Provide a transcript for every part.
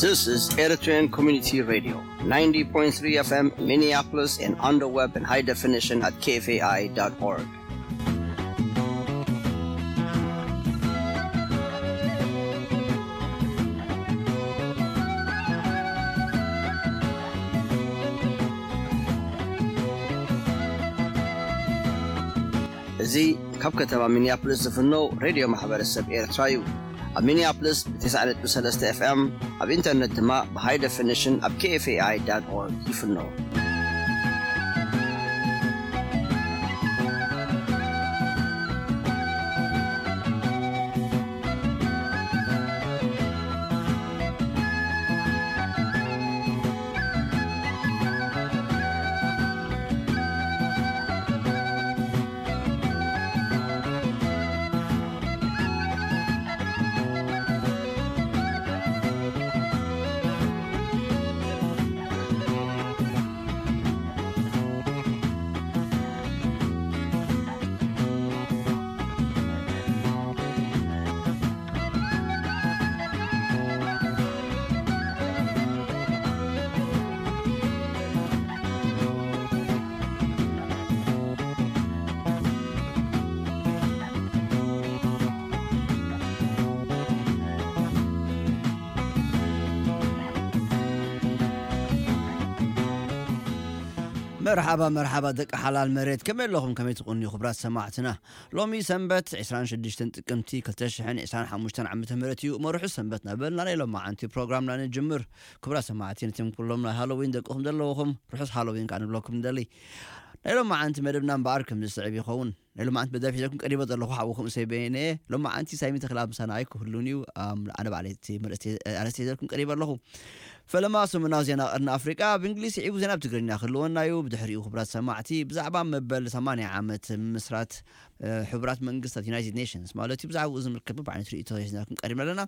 This is Eritrean Community Radio, ninety point three F M Minneapolis and on the web in high definition at K F A I dot org. እዚ ካብ ከተማ ሚኒያፖሊስ ዝፍኖ ሬድዮ ማሕበረሰብ ኤርትራ እዩ። ኣብ ሚኒያፖሊስ ብ ተስዓ ነጥቢ ሰለስተ ኤፍ ኤም፣ ኣብ ኢንተርነት ድማ ብሃይ ደፊኒሽን ኣብ K F A I dot org ይፍኖ። መርሓባ፣ መርሓባ ደቂ ሓላል መሬት፣ ከመይ ኣለኹም? ከመይ ትቕንዩ ክቡራት ሰማዕትና? ሎሚ ሰንበት ዕስራን ሽዱሽተን ጥቅምቲ ክልተ ሽሕን ዕስራን ሓሙሽተን ዓመተ ምህረት እዩ። እሞ ርሑስ ሰንበት እናበልና ናይ ሎማዓንቲ ፕሮግራምና ንጅምር። ክቡራት ሰማዕቲ፣ ነቶም ኩሎም ናይ ሃሎዊን ደቅኹም ዘለውኹም ርሑስ ሃሎዊን ከኣ ንብለኩም ንደሊ። ናይ ሎማዓንቲ መደብና እምበኣር ከም ዝስዕብ ይኸውን። ናይ ሎማዓንቲ መደብ ሒዘልኩም ቀሪበ ዘለኹ ሓውኹም እሰይ በየነ። ሎማዓንቲ ሳይሚ ተኽላ ምሳና ኣይክህሉን እዩ። ኣም፣ ኣነ ባዕለይ እቲ መርእስቲ፣ ኣርእስቲ ሒዘልኩም ቀሪበ ኣለኹ። ፈለማ ሰሙናዊ ዜና ቀርኒ ኣፍሪቃ ብእንግሊዝ ስዒቡ ዜና ብትግርኛ ክህልወና እዩ። ብድሕሪኡ ክቡራት ሰማዕቲ ብዛዕባ መበል ሰማንያ ዓመት ምስራት፣ እ፣ ሕቡራት መንግስታት ዩናይትድ ኔሽንስ ማለት እዩ። ብዛዕባኡ ዝምልከት በብዓይነቱ ርእይቶ ሒዝናልኩም ቀሪብና ኣለና።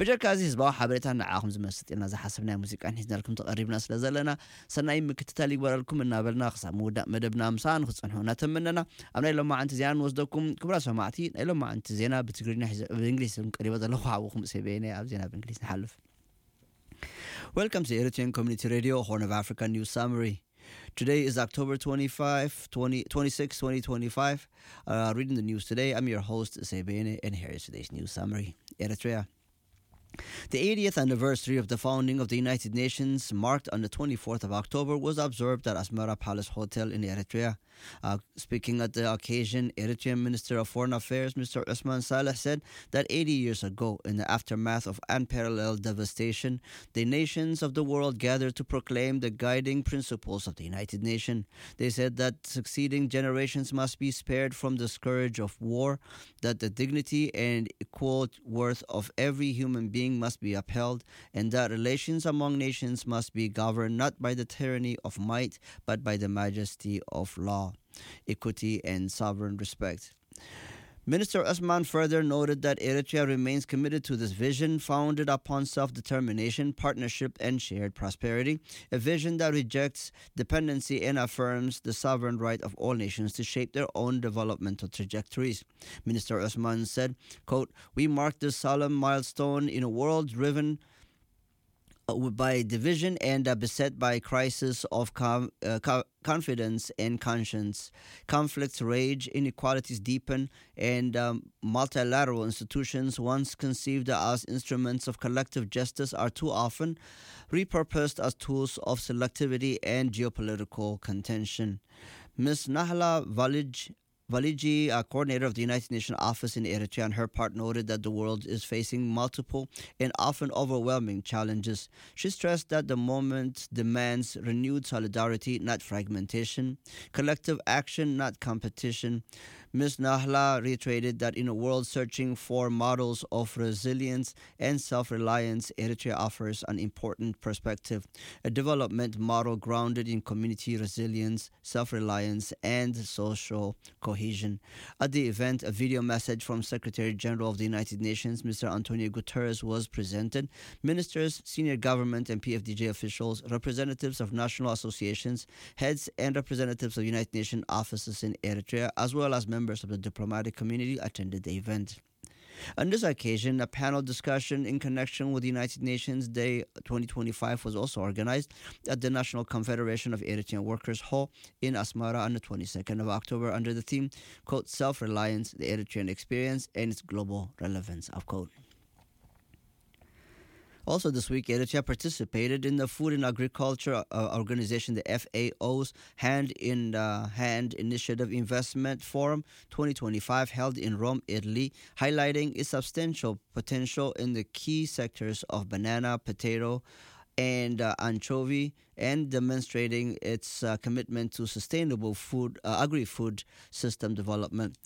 ብጀካ እዚ ህዝባዊ ሓበሬታ ንዓኹም ዝመስጥ ኢልና ዝሓሰብናዮ ሙዚቃን ሒዝናልኩም ተቐሪብና ስለ ዘለና ሰናይ ምክትታል ይግበረልኩም እናበልና ክሳብ ምውዳእ መደብና ምሳና ንክትጸንሑ እናተመነና ኣብ ናይ ሎማዓንቲ ዜና ንወስደኩም። ክቡራት ሰማዕቲ ናይ ሎማዓንቲ ዜና ብትግርኛ ሒዘ-፣ ብእንግሊዝ ቀሪበ ዘለኹ ሓውኹም እሰይ በየነ ኣብ ዜና ብእንግሊዝ ንሓልፍ። Welcome to Eritrean Community Radio, Horn of Africa News Summary. Today is October twenty-five, twenty, twenty-six, twenty twenty-five. Uh, reading the news today, I'm your host, Sebene, and here is today's news summary. Eritrea. The eightieth anniversary of the founding of the United Nations, marked on the twenty-fourth of October, was observed at Asmara Palace Hotel in Eritrea. Uh, speaking at the occasion, Eritrean Minister of Foreign Affairs, Mister Usman Saleh, said that eighty years ago, in the aftermath of unparalleled devastation, the nations of the world gathered to proclaim the guiding principles of the United Nations. They said that succeeding generations must be spared from the scourge of war, that the dignity and equal worth of every human being must be upheld, and that relations among nations must be governed not by the tyranny of might, but by the majesty of law, equity, and sovereign respect. Minister Usman further noted that Eritrea remains committed to this vision founded upon self determination, partnership, and shared prosperity, a vision that rejects dependency and affirms the sovereign right of all nations to shape their own developmental trajectories. Minister Usman said, quote, "We mark this solemn milestone in a world driven uh, by division and uh, beset by crisis of com- uh, co- confidence and conscience. Conflicts rage, inequalities deepen, and um, multilateral institutions, once conceived as instruments of collective justice, are too often repurposed as tools of selectivity and geopolitical contention." Miss Nahla Valij Valiji, a coordinator of the United Nations office in Eritrea, on her part noted that the world is facing multiple and often overwhelming challenges. She stressed that the moment demands renewed solidarity, not fragmentation, collective action, not competition. Miss Nahla reiterated that in a world searching for models of resilience and self reliance, Eritrea offers an important perspective, a development model grounded in community resilience, self reliance, and social cohesion. At the event, a video message from Secretary General of the United Nations, Mister Antonio Guterres, was presented. Ministers, senior government and P F D G officials, representatives of national associations, heads and representatives of United Nations offices in Eritrea, as well as members of the diplomatic community, attended the event. On this occasion, a panel discussion in connection with United Nations Day twenty twenty-five was also organized at the National Confederation of Eritrean Workers Hall in Asmara on the twenty-second of October under the theme, quote, "Self-Reliance, the Eritrean Experience and its Global Relevance," of quote. Also this week, Eritrea participated in the Food and Agriculture uh, Organization, the F A O's Hand in uh, Hand Initiative Investment Forum twenty twenty-five, held in Rome, Italy, highlighting its substantial potential in the key sectors of banana, potato, and uh, anchovy, and demonstrating its uh, commitment to sustainable food, uh, agri-food system development.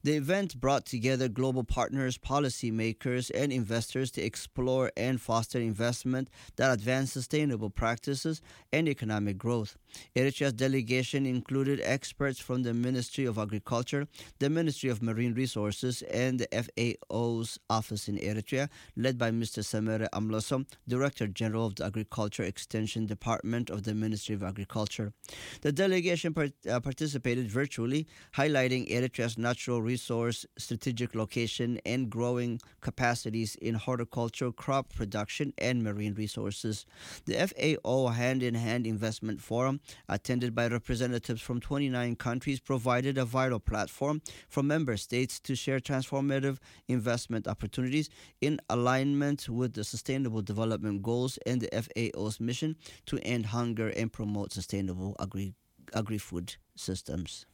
The event brought together global partners, policymakers, and investors to explore and foster investment that advance sustainable practices and economic growth. Eritrea's delegation included experts from the Ministry of Agriculture, the Ministry of Marine Resources, and the F A O's office in Eritrea, led by Mister Samere Amlosom, Director General of the Agriculture Extension Department of the Ministry of Agriculture. The delegation part- uh, participated virtually, highlighting Eritrea's natural resource, strategic location, and growing capacities in horticulture, crop production, and marine resources. The F A O Hand in Hand Investment Forum, attended by representatives from twenty-nine countries, provided a vital platform for member states to share transformative investment opportunities in alignment with the Sustainable Development Goals and the F A O's mission to end hunger and promote sustainable agri- agri-food systems.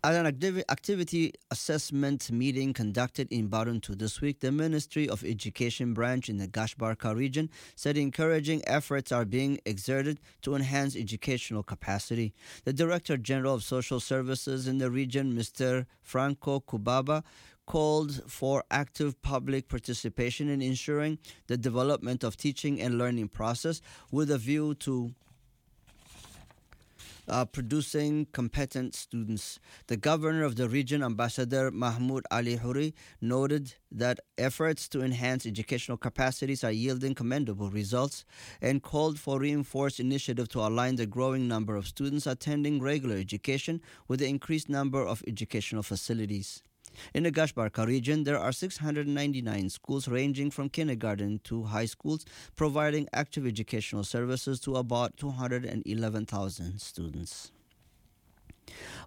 At an activi- activity assessment meeting conducted in Baruntu this week, the Ministry of Education branch in the Gashbarka region said encouraging efforts are being exerted to enhance educational capacity. The Director General of Social Services in the region, Mister Franco Kubaba, called for active public participation in ensuring the development of teaching and learning process with a view to uh, producing competent students. The governor of the region, Ambassador Mahmoud Ali Huri, noted that efforts to enhance educational capacities are yielding commendable results and called for reinforced initiative to align the growing number of students attending regular education with the increased number of educational facilities. In the Gashbarka region, there are six hundred ninety-nine schools ranging from kindergarten to high schools, providing active educational services to about two hundred eleven thousand students.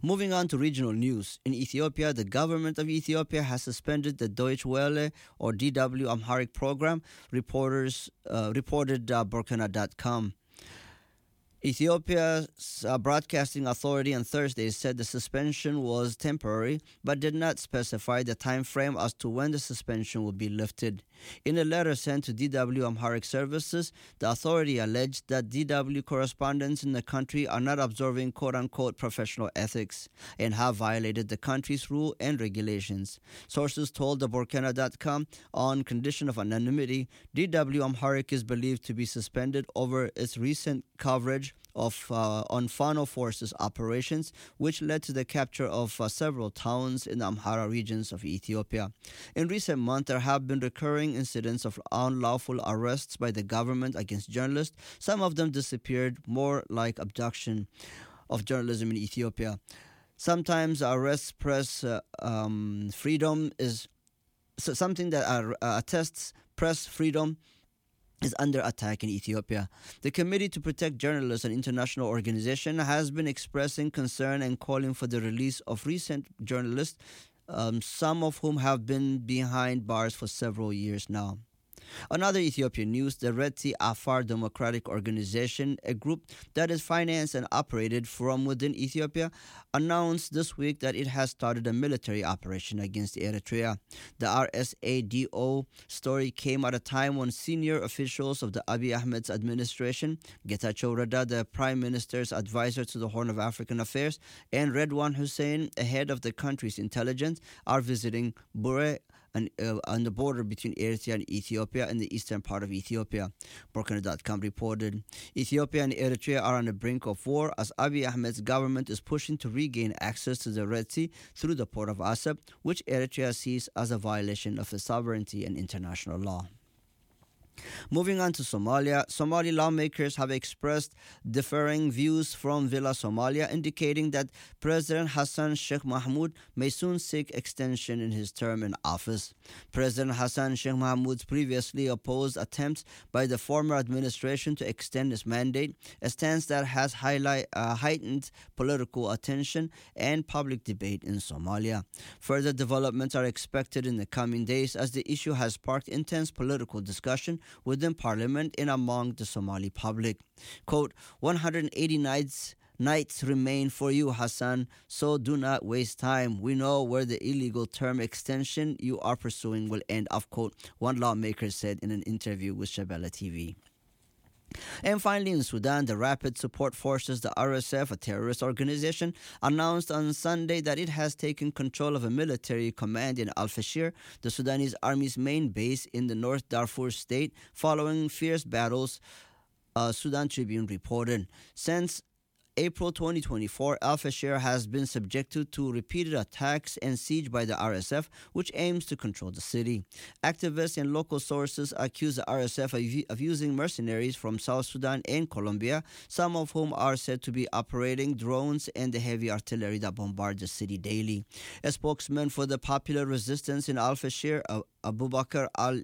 Moving on to regional news. In Ethiopia, the government of Ethiopia has suspended the Deutsche Welle or D W Amharic program, reporters uh, reported uh, Borkana dot com. Ethiopia's uh, broadcasting authority on Thursday said the suspension was temporary, but did not specify the time frame as to when the suspension will be lifted. In a letter sent to D W Amharic Services, the authority alleged that D W correspondents in the country are not observing quote-unquote professional ethics and have violated the country's rule and regulations. Sources told the Borkana dot com, on condition of anonymity, D W Amharic is believed to be suspended over its recent coverage of uh, on Fano forces operations, which led to the capture of uh, several towns in the Amhara regions of Ethiopia. In recent months, there have been recurring incidents of unlawful arrests by the government against journalists. Some of them disappeared, more like abduction of journalism in Ethiopia. Sometimes arrests press uh, um, freedom is so something that are, uh, attests press freedom is under attack in Ethiopia. The Committee to Protect Journalists, an international organization, has been expressing concern and calling for the release of recent journalists, um, some of whom have been behind bars for several years now. Another Ethiopian news, the Red Sea Afar Democratic Organization, a group that is financed and operated from within Ethiopia, announced this week that it has started a military operation against Eritrea. The R S A D O story came at a time when senior officials of the Abiy Ahmed's administration, Getachew Reda, the prime minister's advisor to the Horn of African Affairs, and Redwan Hussein, a head of the country's intelligence, are visiting Bure and uh, on the border between Eritrea and Ethiopia in the eastern part of Ethiopia. Borkana dot com reported Ethiopia and Eritrea are on the brink of war as Abiy Ahmed's government is pushing to regain access to the Red Sea through the port of Assab, which Eritrea sees as a violation of its sovereignty and international law. Moving on to Somalia, Somali lawmakers have expressed differing views from Villa Somalia, indicating that President Hassan Sheikh Mahmoud may soon seek extension in his term in office. President Hassan Sheikh Mahmoud previously opposed attempts by the former administration to extend his mandate, a stance that has highlight, uh, heightened political attention and public debate in Somalia. Further developments are expected in the coming days, as the issue has sparked intense political discussion within parliament and among the Somali public. Quote, "one hundred eighty nights nights remain for you, Hassan, so do not waste time. We know where the illegal term extension you are pursuing will end," of quote, one lawmaker said in an interview with Shabella T V. And finally, in Sudan, the Rapid Support Forces, the R S F, a terrorist organization, announced on Sunday that it has taken control of a military command in Al Fashir, the Sudanese army's main base in the North Darfur state, following fierce battles, uh, Sudan Tribune reported. Since April twenty twenty-four, Al Fashir has been subjected to repeated attacks and siege by the R S F, which aims to control the city. Activists and local sources accuse the R S F of, of using mercenaries from South Sudan and Colombia, some of whom are said to be operating drones and the heavy artillery that bombard the city daily. A spokesman for the popular resistance in Al Fashir, uh, Abubakar Al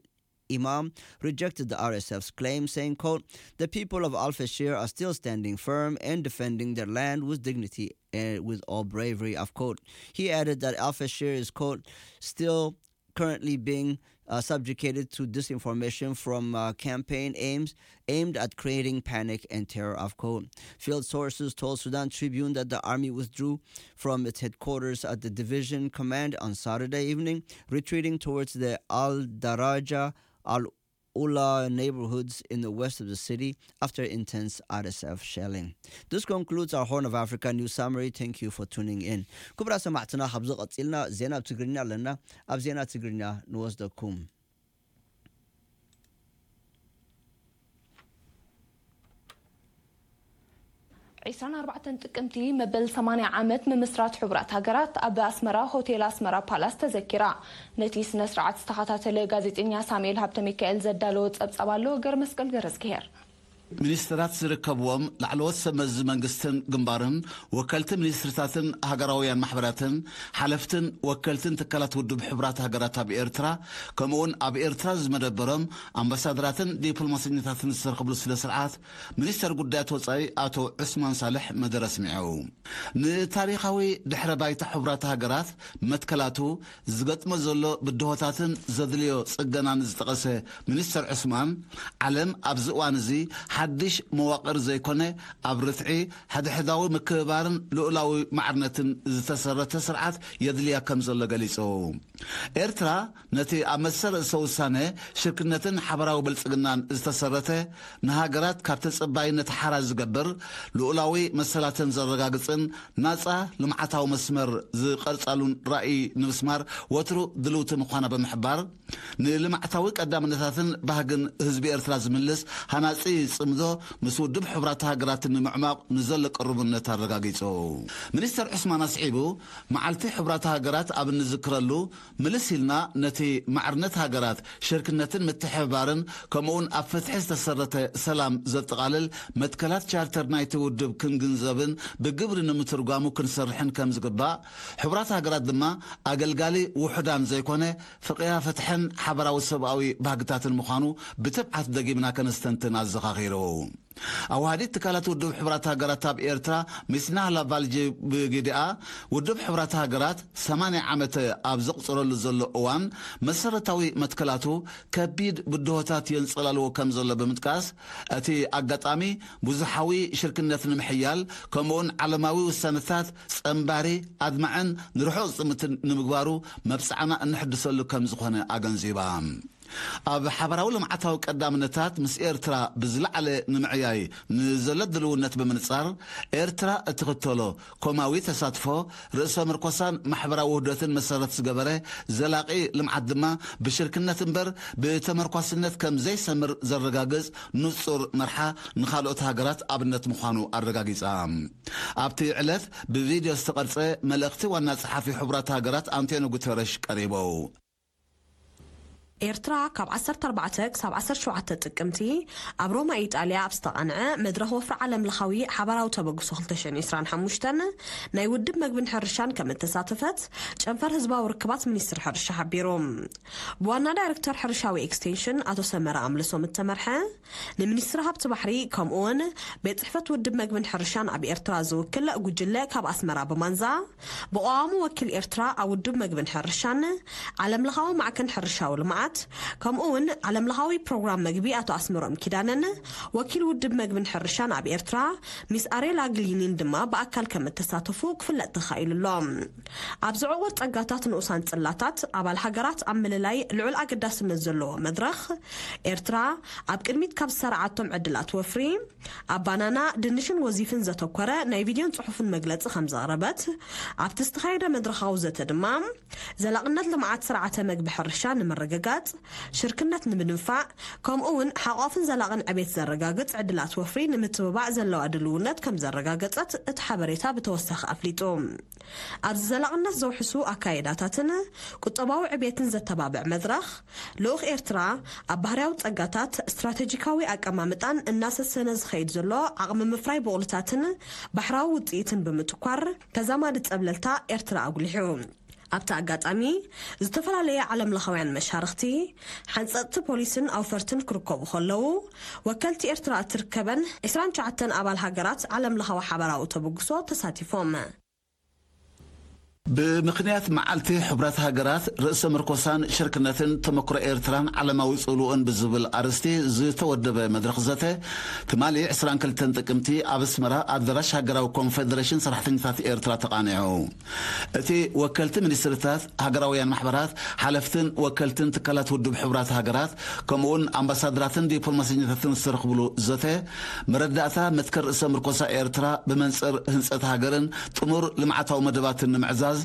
Imam, rejected the R S F's claim, saying, quote, "The people of Al Fashir are still standing firm and defending their land with dignity and with all bravery," of quote. He added that Al Fashir is, quote, "still currently being, uh, subjugated to disinformation from, uh, campaign aims aimed at creating panic and terror," of quote. Field sources told Sudan Tribune that the army withdrew from its headquarters at the division command on Saturday evening, retreating towards the Al Daraja, Al Ula neighborhoods in the west of the city after intense R S F shelling. This concludes our Horn of Africa news summary. Thank you for tuning in. ክቡራት ሰማዕትና፣ ካብዚ ቀጺልና ዜና ብትግርኛ ኣለና። ኣብ ዜና ትግርኛ ንወስደኩም። ዕስራን ኣርባዕተን ጥቅምቲ መበል ሰማንያ ዓመት ምምስራት ሕቡራት ሃገራት ኣብ ኣስመራ ሆቴል ኣስመራ ፓላስ ተዘኪራ። ነቲ ስነ ስርዓት ዝተኸታተለ ጋዜጠኛ ሳሙኤል ሃብተ ሚካኤል ዘዳለዎ ጸብጻብ ኣሎ። ገርመስቀል ገረዝግሄር። ሚኒስትራት ዝርከብዎም ላዕለዎት ሰብ መዚ መንግስትን ግንባርን፣ ወከልቲ ሚኒስትርታትን ሃገራውያን ማሕበራትን፣ ሓለፍትን ወከልትን ትካላት ውድብ ሕቡራት ሃገራት ኣብ ኤርትራ፣ ከምኡውን ኣብ ኤርትራ ዝመደበሮም ኣምባሳደራትን ዲፕሎማሰኛታትን ዝተረኸብሉ ስነ ስርዓት፣ ሚኒስተር ጉዳያት ወጻኢ ኣቶ ዑስማን ሳልሕ መደረ ኣስሚዑ። ንታሪኻዊ ድሕረ ባይታ ሕቡራት ሃገራት መትከላቱ ዝገጥሞ ዘሎ ብድሆታትን ዘድልዮ ጽገናን ዝጠቐሰ ሚኒስተር ዑስማን፣ ዓለም ኣብዚ እዋን እዚ ሓድሽ መዋቕር ዘይኮነ፣ ኣብ ርትዒ፣ ሕድሕዳዊ ምክብባርን ልኡላዊ ማዕርነትን ዝተሰረተ ስርዓት የድልያ ከም ዘሎ ገሊጹ። ኤርትራ ነቲ ኣብ መሰል ርእሰ ውሳነ፣ ሽርክነትን ሓበራዊ ብልጽግናን ዝተሰረተ፣ ንሃገራት ካብ ተጸባይነት ሓራ ዝገብር፣ ልኡላዊ መሰላተን ዘረጋግጽን ናጻ ልምዓታዊ መስመር ዝቐርጻሉን ራእይ ንምስማር ወትሩ ድልውቲ ምዃና ብምሕባር፣ ንልምዓታዊ ቀዳምነታትን ባህግን ህዝቢ ኤርትራ ዝምልስ ሃናጺ ጽምዶ ምስ ውድብ ሕቡራት ሃገራት ንምዕማቕ ንዘሎ ቅሩብነት ኣረጋጊጹ። ሚኒስተር ዑስማን ኣስዒቡ፣ መዓልቲ ሕቡራት ሃገራት ኣብ እንዝክረሉ፣ ምልስ ኢልና ነቲ ማዕርነት ሃገራት፣ ሽርክነትን ምትሕብባርን፣ ከምኡውን ኣብ ፍትሒ ዝተሰረተ ሰላም ዘጠቓልል መትከላት ቻርተር ናይቲ ውድብ ክንግንዘብን ብግብሪ ንምትርጓሙ ክንሰርሕን ከም ዝግባእ፣ ሕቡራት ሃገራት ድማ ኣገልጋሊ ውሑዳን ዘይኮነ፣ ፍቕያ ፍትሕን ሓበራዊ ሰብኣዊ ባህግታትን ምዃኑ ብትብዓት ደጊምና ከነስተንትን ኣዘኻኺሩ። ኣዋሃዲት ትካላት ውድብ ሕቡራት ሃገራት ኣብ ኤርትራ፣ ሚስ ናህላ ቫልጂ ብግዲኣ፣ ውድብ ሕቡራት ሃገራት ሰማንያ ዓመት ኣብ ዘቑጽረሉ ዘሎ እዋን፣ መሰረታዊ መትከላቱ ከቢድ ብድሆታት የንጸላልዎ ከም ዘሎ ብምጥቃስ፣ እቲ ኣጋጣሚ ብዙሓዊ ሽርክነት ንምሕያል፣ ከምኡውን ዓለማዊ ውሳነታት ጸንባሪ፣ ኣድማዕን ንርሑቕ ዝጥምትን ንምግባሩ መብጽዓና እንሕድሰሉ ከም ዝኾነ ኣገንዚባ። ኣብ ሓባራዊ ልምዓታዊ ቀዳምነታት ምስ ኤርትራ ብዝለዓለ ንምዕያይ ንዘሎ ድልውነት ብምንጻር፣ ኤርትራ እትኽተሎ ኮማዊ ተሳትፎ፣ ርእሰ ምርኮሳን ማሕበራዊ ውህደትን መሰረት ዝገበረ ዘላቒ ልምዓት ድማ ብሽርክነት እምበር ብተመርኳስነት ከም ዘይሰምር ዘረጋግጽ ንጹር መርሓ ንኻልኦት ሃገራት ኣብነት ምዃኑ ኣረጋጊጻ። ኣብቲ ዕለት ብቪድዮ ዝተቐርጸ መልእኽቲ ዋና ጸሓፊ ሕቡራት ሃገራት ኣንቶኒ ጉተረሽ ቀሪቡ። ኤርትራ ካብ ዓሰርተ ኣርባዕተ ክሳብ ዓሰርተ ሸውዓተ ጥቅምቲ ኣብ ሮማ ኢጣልያ ኣብ ዝተቓንዐ መድረኽ ወፍሪ ዓለም ለኻዊ ሓባራዊ ተበግሶ ክልተ ሽሕን ዕስራን ሓሙሽተን ናይ ውድብ መግብን ሕርሻን ከም እተሳተፈት ጨንፈር ህዝባዊ ርክባት ሚኒስትሪ ሕርሻ ሓቢሩ። ብዋና ዳይሬክተር ሕርሻዊ ኤክስቴንሽን ኣቶ ሰመረ ኣምልሶም እተመርሐ፣ ንሚኒስትሪ ሃብቲ ባሕሪ ከምኡውን ቤት ጽሕፈት ውድብ መግብን ሕርሻን ኣብ ኤርትራ ዝውክል ጉጅለ ካብ ኣስመራ ብማንዛ፣ ብቐዋሙ ወኪል ኤርትራ ኣብ ውድብ መግብን ሕርሻን፣ ዓለምለኻዊ ማዕከን ሕርሻዊ ልምዓት፣ ከምኡ እውን ዓለምለኻዊ ፕሮግራም መግቢ ኣቶ ኣስመሮም ኪዳነን ወኪል ውድብ መግብን ሕርሻን ኣብ ኤርትራ ሚስ ኣሬላ ግሊኒን ድማ ብኣካል ከም እተሳተፉ ክፍለጥ ተኻኢሉ ኣሎ። ኣብዚ ዕቑር ጸጋታት ንኡሳን ጽላታት ኣባል ሃገራት ኣብ ምልላይ ልዑል ኣገዳስነት ዘለዎ መድረኽ፣ ኤርትራ ኣብ ቅድሚት ካብ ዝሰርዓቶም ዕድላት ወፍሪ፣ ኣብ ባናና፣ ድንሽን ወዚፍን ዘተኮረ ናይ ቪድዮን ጽሑፍን መግለጺ ከም ዘቕረበት፣ ኣብቲ ዝተኻየደ መድረኻዊ ዘተ ድማ፣ ዘላቕነት ልምዓት ስርዓተ መግቢ ሕርሻ ንምርግጋጽ፣ ሽርክነት ንምድንፋዕ፣ ከምኡ እውን ሓቋፍን ዘላቕን ዕቤት ዘረጋግጽ ዕድላት ወፍሪ ንምትብባዕ ዘለዋ ድልውነት ከም ዘረጋገጸት እቲ ሓበሬታ ብተወሳኺ ኣፍሊጡ። ኣብዚ ዘላቕነት ዘውሕሱ ኣካይዳታትን ቁጠባዊ ዕቤትን ዘተባብዕ መድረኽ፣ ልኡኽ ኤርትራ ኣብ ባህርያዊ ጸጋታት ስትራቴጂካዊ ኣቀማምጣን እናሰሰነ ዝኸይድ ዘሎ ዓቕሚ ምፍራይ ብቑልታትን ባሕራዊ ውጽኢትን ብምትኳር፣ ተዛማዲ ጸብለልታ ኤርትራ ኣጉሊሑ። ኣብቲ ኣጋጣሚ፣ ዝተፈላለየ ዓለምለኻውያን መሻርኽቲ፣ ሓንጸጽቲ ፖሊስን ኣውፈርትን ክርከቡ ከለዉ፣ ወከልቲ ኤርትራ እትርከበን ዕስራን ትሽዓተን ኣባል ሃገራት ዓለምለኻዊ ሓባራዊ ተበግሶ ተሳቲፎም። ብምኽንያት መዓልቲ ሕቡራት ሃገራት፣ ርእሰ ምርኮሳን ሽርክነትን፣ ተመክሮ ኤርትራን ዓለማዊ ጽልውኡን ብዝብል ኣርእስቲ ዝተወደበ መድረኽ ዘተ፣ ትማሊ ዕስራን ክልተን ጥቅምቲ ኣብ ኣስመራ ኣዳራሽ ሃገራዊ ኮንፈደሬሽን ሰራሕተኛታት ኤርትራ ተቓኒዑ። እቲ ወከልቲ ሚኒስትርታት፣ ሃገራውያን ማሕበራት፣ ሓለፍትን ወከልትን ትካላት ውድብ ሕቡራት ሃገራት፣ ከምኡውን ኣምባሳደራትን ዲፕሎማሰኛታትን ዝተረኽብሉ ዘተ፣ መረዳእታ መትከል ርእሰ ምርኮሳ ኤርትራ ብመንጽር ህንጸት ሃገርን ጥሙር ልምዓታዊ መደባትን ንምዕዛዝ፣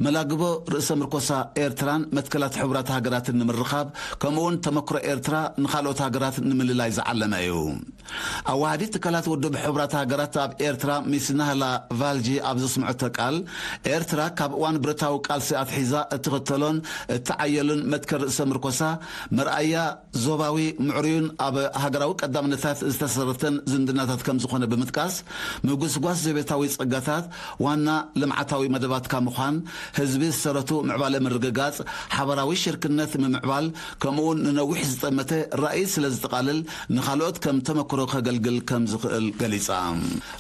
መላግቦ ርእሰ ምርኮሳ ኤርትራን መትከላት ሕቡራት ሃገራትን ንምርኻብ፣ ከምኡውን ተመክሮ ኤርትራ ንኻልኦት ሃገራት ንምልላይ ዝዓለመ እዩ። ኣዋሃዲት ትካላት ውድብ ሕቡራት ሃገራት ኣብ ኤርትራ ሚስ ናህላ ቫልጂ ኣብ ዘስምዐቶ ቃል፣ ኤርትራ ካብ እዋን ብረታዊ ቃልሲ ኣትሒዛ እትኽተሎን እትዓየሉን መትከል ርእሰ ምርኮሳ፣ መርኣያ ዞባዊ ምዕሩይን ኣብ ሃገራዊ ቀዳምነታት ዝተሰረተን ዝምድናታት ከም ዝኾነ ብምጥቃስ፣ ምጉስጓስ ዘቤታዊ ጸጋታት ዋና ልምዓታዊ መደባትካ ምዃን፣ ህዝቢ ዝሰረቱ ምዕባለ ምርግጋጽ፣ ሓባራዊ ሽርክነት ምምዕባል፣ ከምኡውን ንነዊሕ ዝጠመተ ራእይ ስለ ዝጠቓልል፣ ንኻልኦት ከም ተመክሮ ከገልግል ከም ዝኽእል ገሊጻ።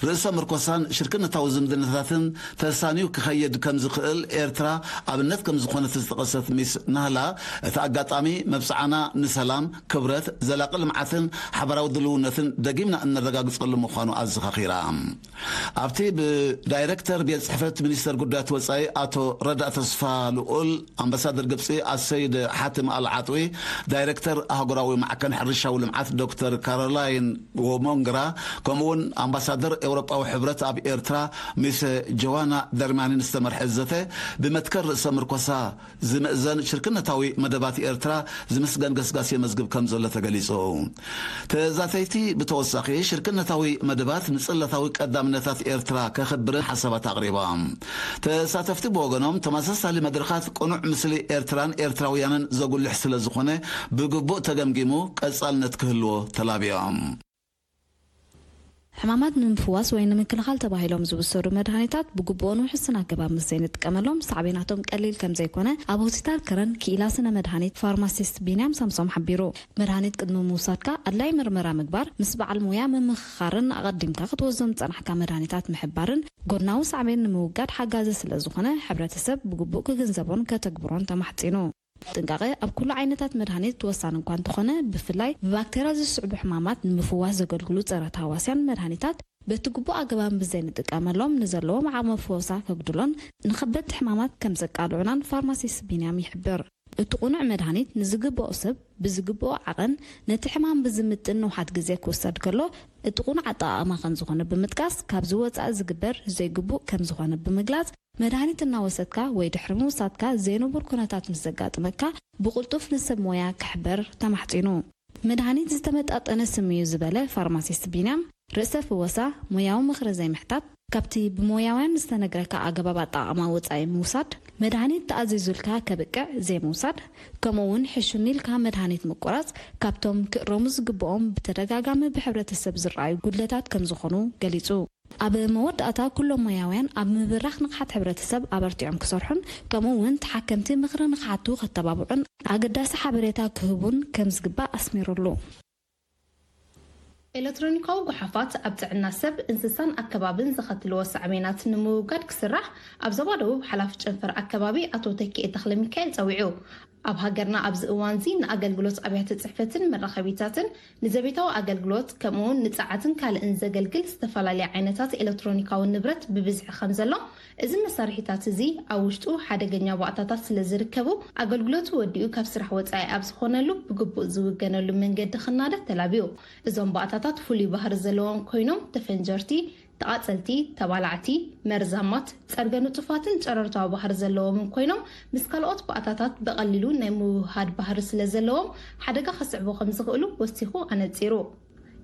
ርእሰ ምርኮሳን ሽርክነታዊ ዝምድናታትን ተሳንዩ ክኸይድ ከም ዝኽእል ኤርትራ ኣብነት ከም ዝኾነት ዝጠቐሰት ሚስ ናህላ፣ እቲ ኣጋጣሚ መብጽዓና ንሰላም፣ ክብረት፣ ዘላቒ ልምዓትን ሓባራዊ ድልውነትን ደጊምና እነረጋግጸሉ ምዃኑ ኣዘኻኺራ። ኣብቲ ብዳይረክተር ቤት ጽሕፈት ሚኒስተር ጉዳያት ወጻኢ ኣቶ ረዳእ ተስፋ ልኡል፣ ኣምባሳደር ግብጺ ኣሰይድ ሓትም ኣል ዓጥዊ፣ ዳይረክተር ኣህጉራዊ ማዕከን ሕርሻዊ ልምዓት ዶክተር ካሮላይን ዎሞንግራ፣ ከምኡውን ኣምባሳደር ኤውሮጳዊ ሕብረት ኣብ ኤርትራ ሚስ ጆዋና ደርማኒን ዝተመርሐ ዘተ፣ ብመትከል ርእሰ ምርኮሳ ዝምእዘን ሽርክነታዊ መደባት ኤርትራ ዝምስገን ገስጋስ የመዝግብ ከም ዘሎ ተገሊጹ። ተዛተይቲ ብተወሳኺ ሽርክነታዊ መደባት ንጽላታዊ ቀዳምነታት ኤርትራ ከኽብርን ሓሳባት ኣቕሪቦም። ተሳተፍቲ ብወገኖም፣ ተመሳሳሊ መድረኻት ቅኑዕ ምስሊ ኤርትራን ኤርትራውያንን ዘጉልሕ ስለ ዝኾነ፣ ብግቡእ ተገምጊሙ ቀጻልነት ክህልዎ ተላብዮም። ሕማማት ንምፍዋስ ወይ ንምክልኻል ተባሂሎም ዝውሰዱ መድሃኒታት ብግቡእን ውሕስን ኣገባብ ምስ ዘይንጥቀመሎም፣ ሳዕቤናቶም ቀሊል ከም ዘይኮነ ኣብ ሆስፒታል ከረን ክኢላ ስነ መድሃኒት ፋርማሲስት ቢንያም ሳምሶም ሓቢሩ። መድሃኒት ቅድሚ ምውሳድካ ኣድላይ ምርመራ ምግባር፣ ምስ በዓል ሞያ ምምኽኻርን ኣቐዲምካ ክትወስዶም ዝጸናሕካ መድሃኒታት ምሕባርን ጎድናዊ ሳዕቤን ንምውጋድ ሓጋዚ ስለ ዝኾነ፣ ሕብረተሰብ ብግቡእ ክግንዘቦን ከተግብሮን ተማሕጺኑ። ጥንቃቐ ኣብ ኩሉ ዓይነታት መድሃኒት ወሳኒ እኳ እንተኾነ፣ ብፍላይ ብባክቴርያ ዝስዕቡ ሕማማት ንምፍዋስ ዘገልግሉ ጸረ ተሃዋስያን መድሃኒታት በቲ ግቡእ ኣገባብ ብዘይንጥቀመሎም፣ ንዘለዎም ዓቕሚ ፈወሳ ከጉድሎን ንኸበድቲ ሕማማት ከም ዘቃልዑናን ፋርማሲስት ቢንያም ይሕብር። እቲ ቅኑዕ መድሃኒት ንዝግብኦ ሰብ ብዝግብኦ ዓቐን፣ ነቲ ሕማም ብዝምጥን ንውሓት ግዜ ክውሰድ ከሎ፣ እቲ ቅኑዕ ኣጠቓቕማ ከም ዝኾነ ብምጥቃስ፣ ካብዚ ወጻኢ ዝግበር ዘይግቡእ ከም ዝኾነ ብምግላጽ፣ መድሃኒት እናወሰድካ ወይ ድሕሪ ምውሳድካ ዘይንቡር ኩነታት ምስ ዘጋጥመካ፣ ብቕልጡፍ ንሰብ ሞያ ክሕበር ተማሕጺኑ። መድሃኒት ዝተመጣጠነ ስም እዩ ዝበለ ፋርማሲስት ቢንያም፣ ርእሰ ፍወሳ፣ ሞያዊ ምኽሪ ዘይምሕታት፣ ካብቲ ብሞያውያን ዝተነግረካ ኣገባብ ኣጠቓቕማ ወጻኢ ምውሳድ፣ መድሃኒት ተኣዚዙልካ ከብቅዕ ዘይምውሳድ፣ ከምኡ እውን ሕሹም ኢልካ መድሃኒት ምቁራጽ፣ ካብቶም ክእረሙ ዝግብኦም ብተደጋጋሚ ብሕብረተሰብ ዝረኣዩ ጉድለታት ከም ዝኾኑ ገሊጹ። ኣብ መወዳእታ፣ ኩሎም ሞያውያን ኣብ ምብራኽ ንቕሓት ሕብረተሰብ ኣበርቲዖም ክሰርሑን፣ ከምኡ እውን ተሓከምቲ ምኽሪ ንኽሓቱ ከተባብዑን፣ ኣገዳሲ ሓበሬታ ክህቡን ከም ዝግባእ ኣስሚሩሉ። ኤለክትሮኒካዊ ጓሓፋት ኣብ ጥዕና ሰብ፣ እንስሳን ኣከባብን ዘኸትልዎ ሳዕቤናት ንምውጋድ ክስራሕ ኣብ ዞባ ደቡብ ሓላፊ ጨንፈር ኣከባቢ ኣቶ ተኪኤ ተኽለሚካኤል ጸዊዑ። ኣብ ሃገርና ኣብዚ እዋንዚ ንኣገልግሎት ኣብያተ ጽሕፈትን መራኸቢታትን፣ ንዘቤታዊ ኣገልግሎት፣ ከምኡውን ንጸዓትን ካልእን ዘገልግል ዝተፈላለየ ዓይነታት ኤለክትሮኒካዊ ንብረት ብብዝሒ ከም ዘሎ፣ እዚ መሳርሒታት እዚ ኣብ ውሽጡ ሓደገኛ ባእታታት ስለ ዝርከቡ፣ ኣገልግሎቱ ወዲኡ ካብ ስራሕ ወጻኢ ኣብ ዝኾነሉ ብግቡእ ዝውገነሉ መንገዲ ክናደ ተላብዩ። እዞም ባእታታት ፍሉይ ባህሪ ዘለዎም ኮይኖም፣ ተፈንጀርቲ፣ ተቓጸልቲ፣ ተባላዕቲ፣ መርዛማት፣ ጸርገ ንጡፋትን ጨረርታዊ ባህሪ ዘለዎምን ኮይኖም፣ ምስ ካልኦት ባእታታት ብቐሊሉ ናይ ምውህሃድ ባህሪ ስለ ዘለዎም፣ ሓደጋ ከስዕቡ ከም ዝኽእሉ ወሲኹ ኣነጺሩ።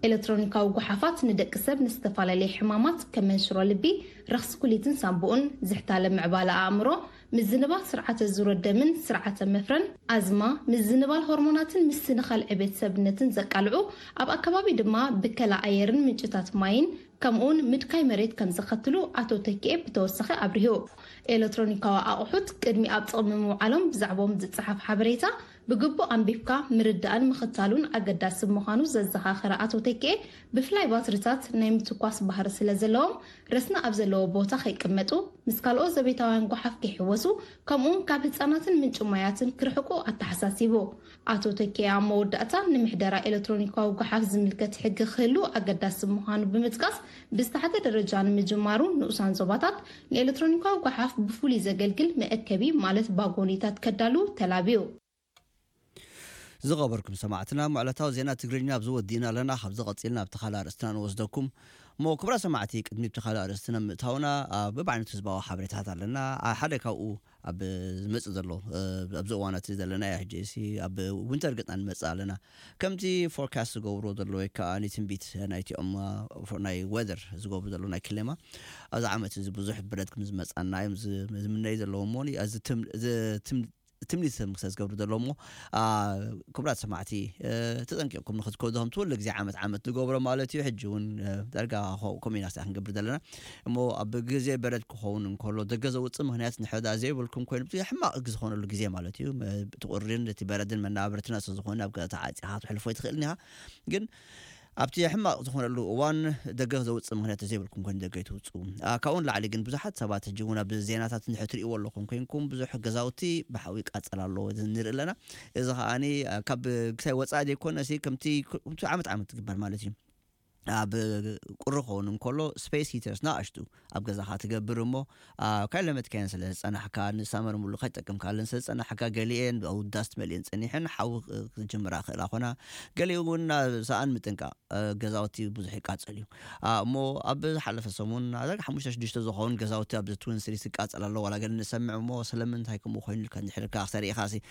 ኤለክትሮኒካዊ ጓሓፋት ንደቂ ሰብ ንዝተፈላለየ ሕማማት ከም መንሽሮ ልቢ፣ ረኽሲ ኩሊትን ሳንቡኡን፣ ዝሕታለ ምዕባለ ኣእምሮ፣ ምዝንባል ስርዓተ ዙረ ደምን ስርዓተ መፍረን፣ ኣዝማ፣ ምዝንባል ሆርሞናትን ምስትንኻል ዕቤት ሰብነትን ዘቃልዑ፣ ኣብ ኣከባቢ ድማ ብከላ ኣየርን ምንጭታት ማይን፣ ከምኡውን ምድካይ መሬት ከም ዘኸትሉ ኣቶ ተኪኤ ብተወሳኺ ኣብሪሁ። ኤለክትሮኒካዊ ኣቑሑት ቅድሚ ኣብ ጥቕሚ ምውዓሎም ብዛዕባኦም ዝጸሓፍ ሓበሬታ ብግቡእ ኣንቢብካ ምርዳእን ምኽታሉን ኣገዳሲ ምዃኑ ዘዘኻኸረ ኣቶ ተኪኤ፣ ብፍላይ ባትሪታት ናይ ምትኳስ ባህሪ ስለ ዘለዎም፣ ረስኒ ኣብ ዘለዎ ቦታ ከይቅመጡ፣ ምስ ካልኦት ዘቤታውያን ጓሓፍ ከይሕወሱ፣ ከምኡውን ካብ ህጻናትን ምንጪ ማያትን ክርሕቁ ኣተሓሳሲቡ። ኣቶ ተኪኤ ኣብ መወዳእታ፣ ንምሕደራ ኤለክትሮኒካዊ ጓሓፍ ዝምልከት ሕጊ ክህሉ ኣገዳሲ ምዃኑ ብምጥቃስ፣ ብዝተሓተ ደረጃ ንምጅማሩ፣ ንኡሳን ዞባታት ንኤለክትሮኒካዊ ጓሓፍ ብፍሉይ ዘገልግል መእከቢ፣ ማለት ባጎኒታት ከዳልዉ ተላብዩ። ዝኸበርኩም ሰማዕትና፣ ምዕለታዊ ዜና ትግርኛ ኣብዚ ወዲእና ኣለና። ካብዚ ቀጺልና ኣብቲ ካልእ ኣርእስትና ንወስደኩም። እሞ ክቡራት ሰማዕቲ፣ ቅድሚ ኣብቲ ካልእ ኣርእስትና ምእታውና፣ ኣብ በብዓይነቱ ህዝባዊ ሓበሬታታት ኣለና። ኣ፣ ሓደ ካብኡ ኣብ ዝመጽእ ዘሎ፣ እ፣ ኣብዚ እዋናት ዘለናዮ ሕጂ ሲ ኣብ ዊንተር ገጽና ንመጽእ ኣለና። ከምቲ ፎርካስት ዝገብርዎ ዘሎ ወይ ከኣ ትንቢት ናይቲኦም፣ እ፣ ፎ-፣ ናይ ዌዘር ዝገብሩ ዘሎ ናይ ክሌማ፣ ኣብዚ ዓመት እዚ ብዙሕ ብረድ ከም ዝመጽኣና እዮም ዝ-፣ ዝምነዩ ዘለዉ እሞ፣ እዚ ትም-፣ እዚ ትም-፣ ትምኒት ምክሰ ዝገብሩ ዘለዉ እሞ፣ ኣ፣ ክቡራት ሰማዕቲ፣ እ፣ ተጠንቂቕኩም ንኽትከዱ፣ ከምቲ ኩሉ ግዜ ዓመት ዓመት ንገብሮ ማለት እዩ። ሕጂ እውን፣ እ፣ ዳርጋ ኸ-፣ ከምኡ ኢና ስራሕ ክንገብር ዘለና። እሞ ኣብ ግዜ በረድ ክኸውን እንከሎ፣ ደገ ዘውጽእ ምኽንያት ንሕዳ ዘይብልኩም ኮይኑ፣ እቲ ሕማቕ ዝኾነሉ ግዜ ማለት እዩ። መ-፣ እቲ ቁሪን እቲ በረድን መናበርትና ስለ ዝኾነ፣ ኣብ ገዛ ተዓጺኻ ክትሕልፎ ኣይትኽእልን ኢኻ። ግን ኣብቲ ሕማቕ ዝኾነሉ እዋን ደገ ዘውጽእ ምኽንያት ዘይብልኩም ኮይኑ ደገ ኣይትውጽኡ። ኣ፣ ካብኡ ንላዕሊ ግን ብዙሓት ሰባት ሕጂ እውን ኣብ ዜናታት እንድሕር ትርእይዎ ኣለኹም ኮይንኩም፣ ብዙሕ ገዛውቲ ብሓዊ ይቃጸል ኣሎ ንርኢ ኣለና። እዚ ከኣኒ፣ ኣ፣ ካብ ክሳይ ወጻኢ ዘይኮነሲ ከምቲ፣ ከምቲ ዓመት ዓመት ትግበር ማለት እዩ። ኣብ ቁሪ ክኸውን እንከሎ ስፔስ ሂተርስ ንኣሽቱ ኣብ ገዛኻ ትገብር እሞ፣ ኣ፣ ካይለመትካየን ስለ ዝጸናሕካ፣ ንሳመር ሙሉ ከይጠቀምካለን ስለ ዝጸናሕካ፣ ገሊኤን ብኣውዳስት መሊኤን ጸኒሐን ሓዊ ክ-፣ ክጅምራ ክእላ ኾና፣ ገሊኡ እውን ናብ ሰኣን ምጥንቃቕ፣ እ፣ ገዛውቲ ብዙሕ ይቃጸል እዩ። ኣ፣ እሞ ኣብ ዝሓለፈ ሰሙን፣ ዳርጋ ሓሙሽተ ሽዱሽተ ዝኸውን ገዛውቲ ኣብዚ ትዊን ሲቲስ ይቃጸል ኣሎ። ዋላ ገለ ንሰምዕ እሞ፣ ስለምንታይ ከምኡ ኮይኑ ኢልካ እንድሕር ኢልካ ክተርኢ ኢኻ ሲ፣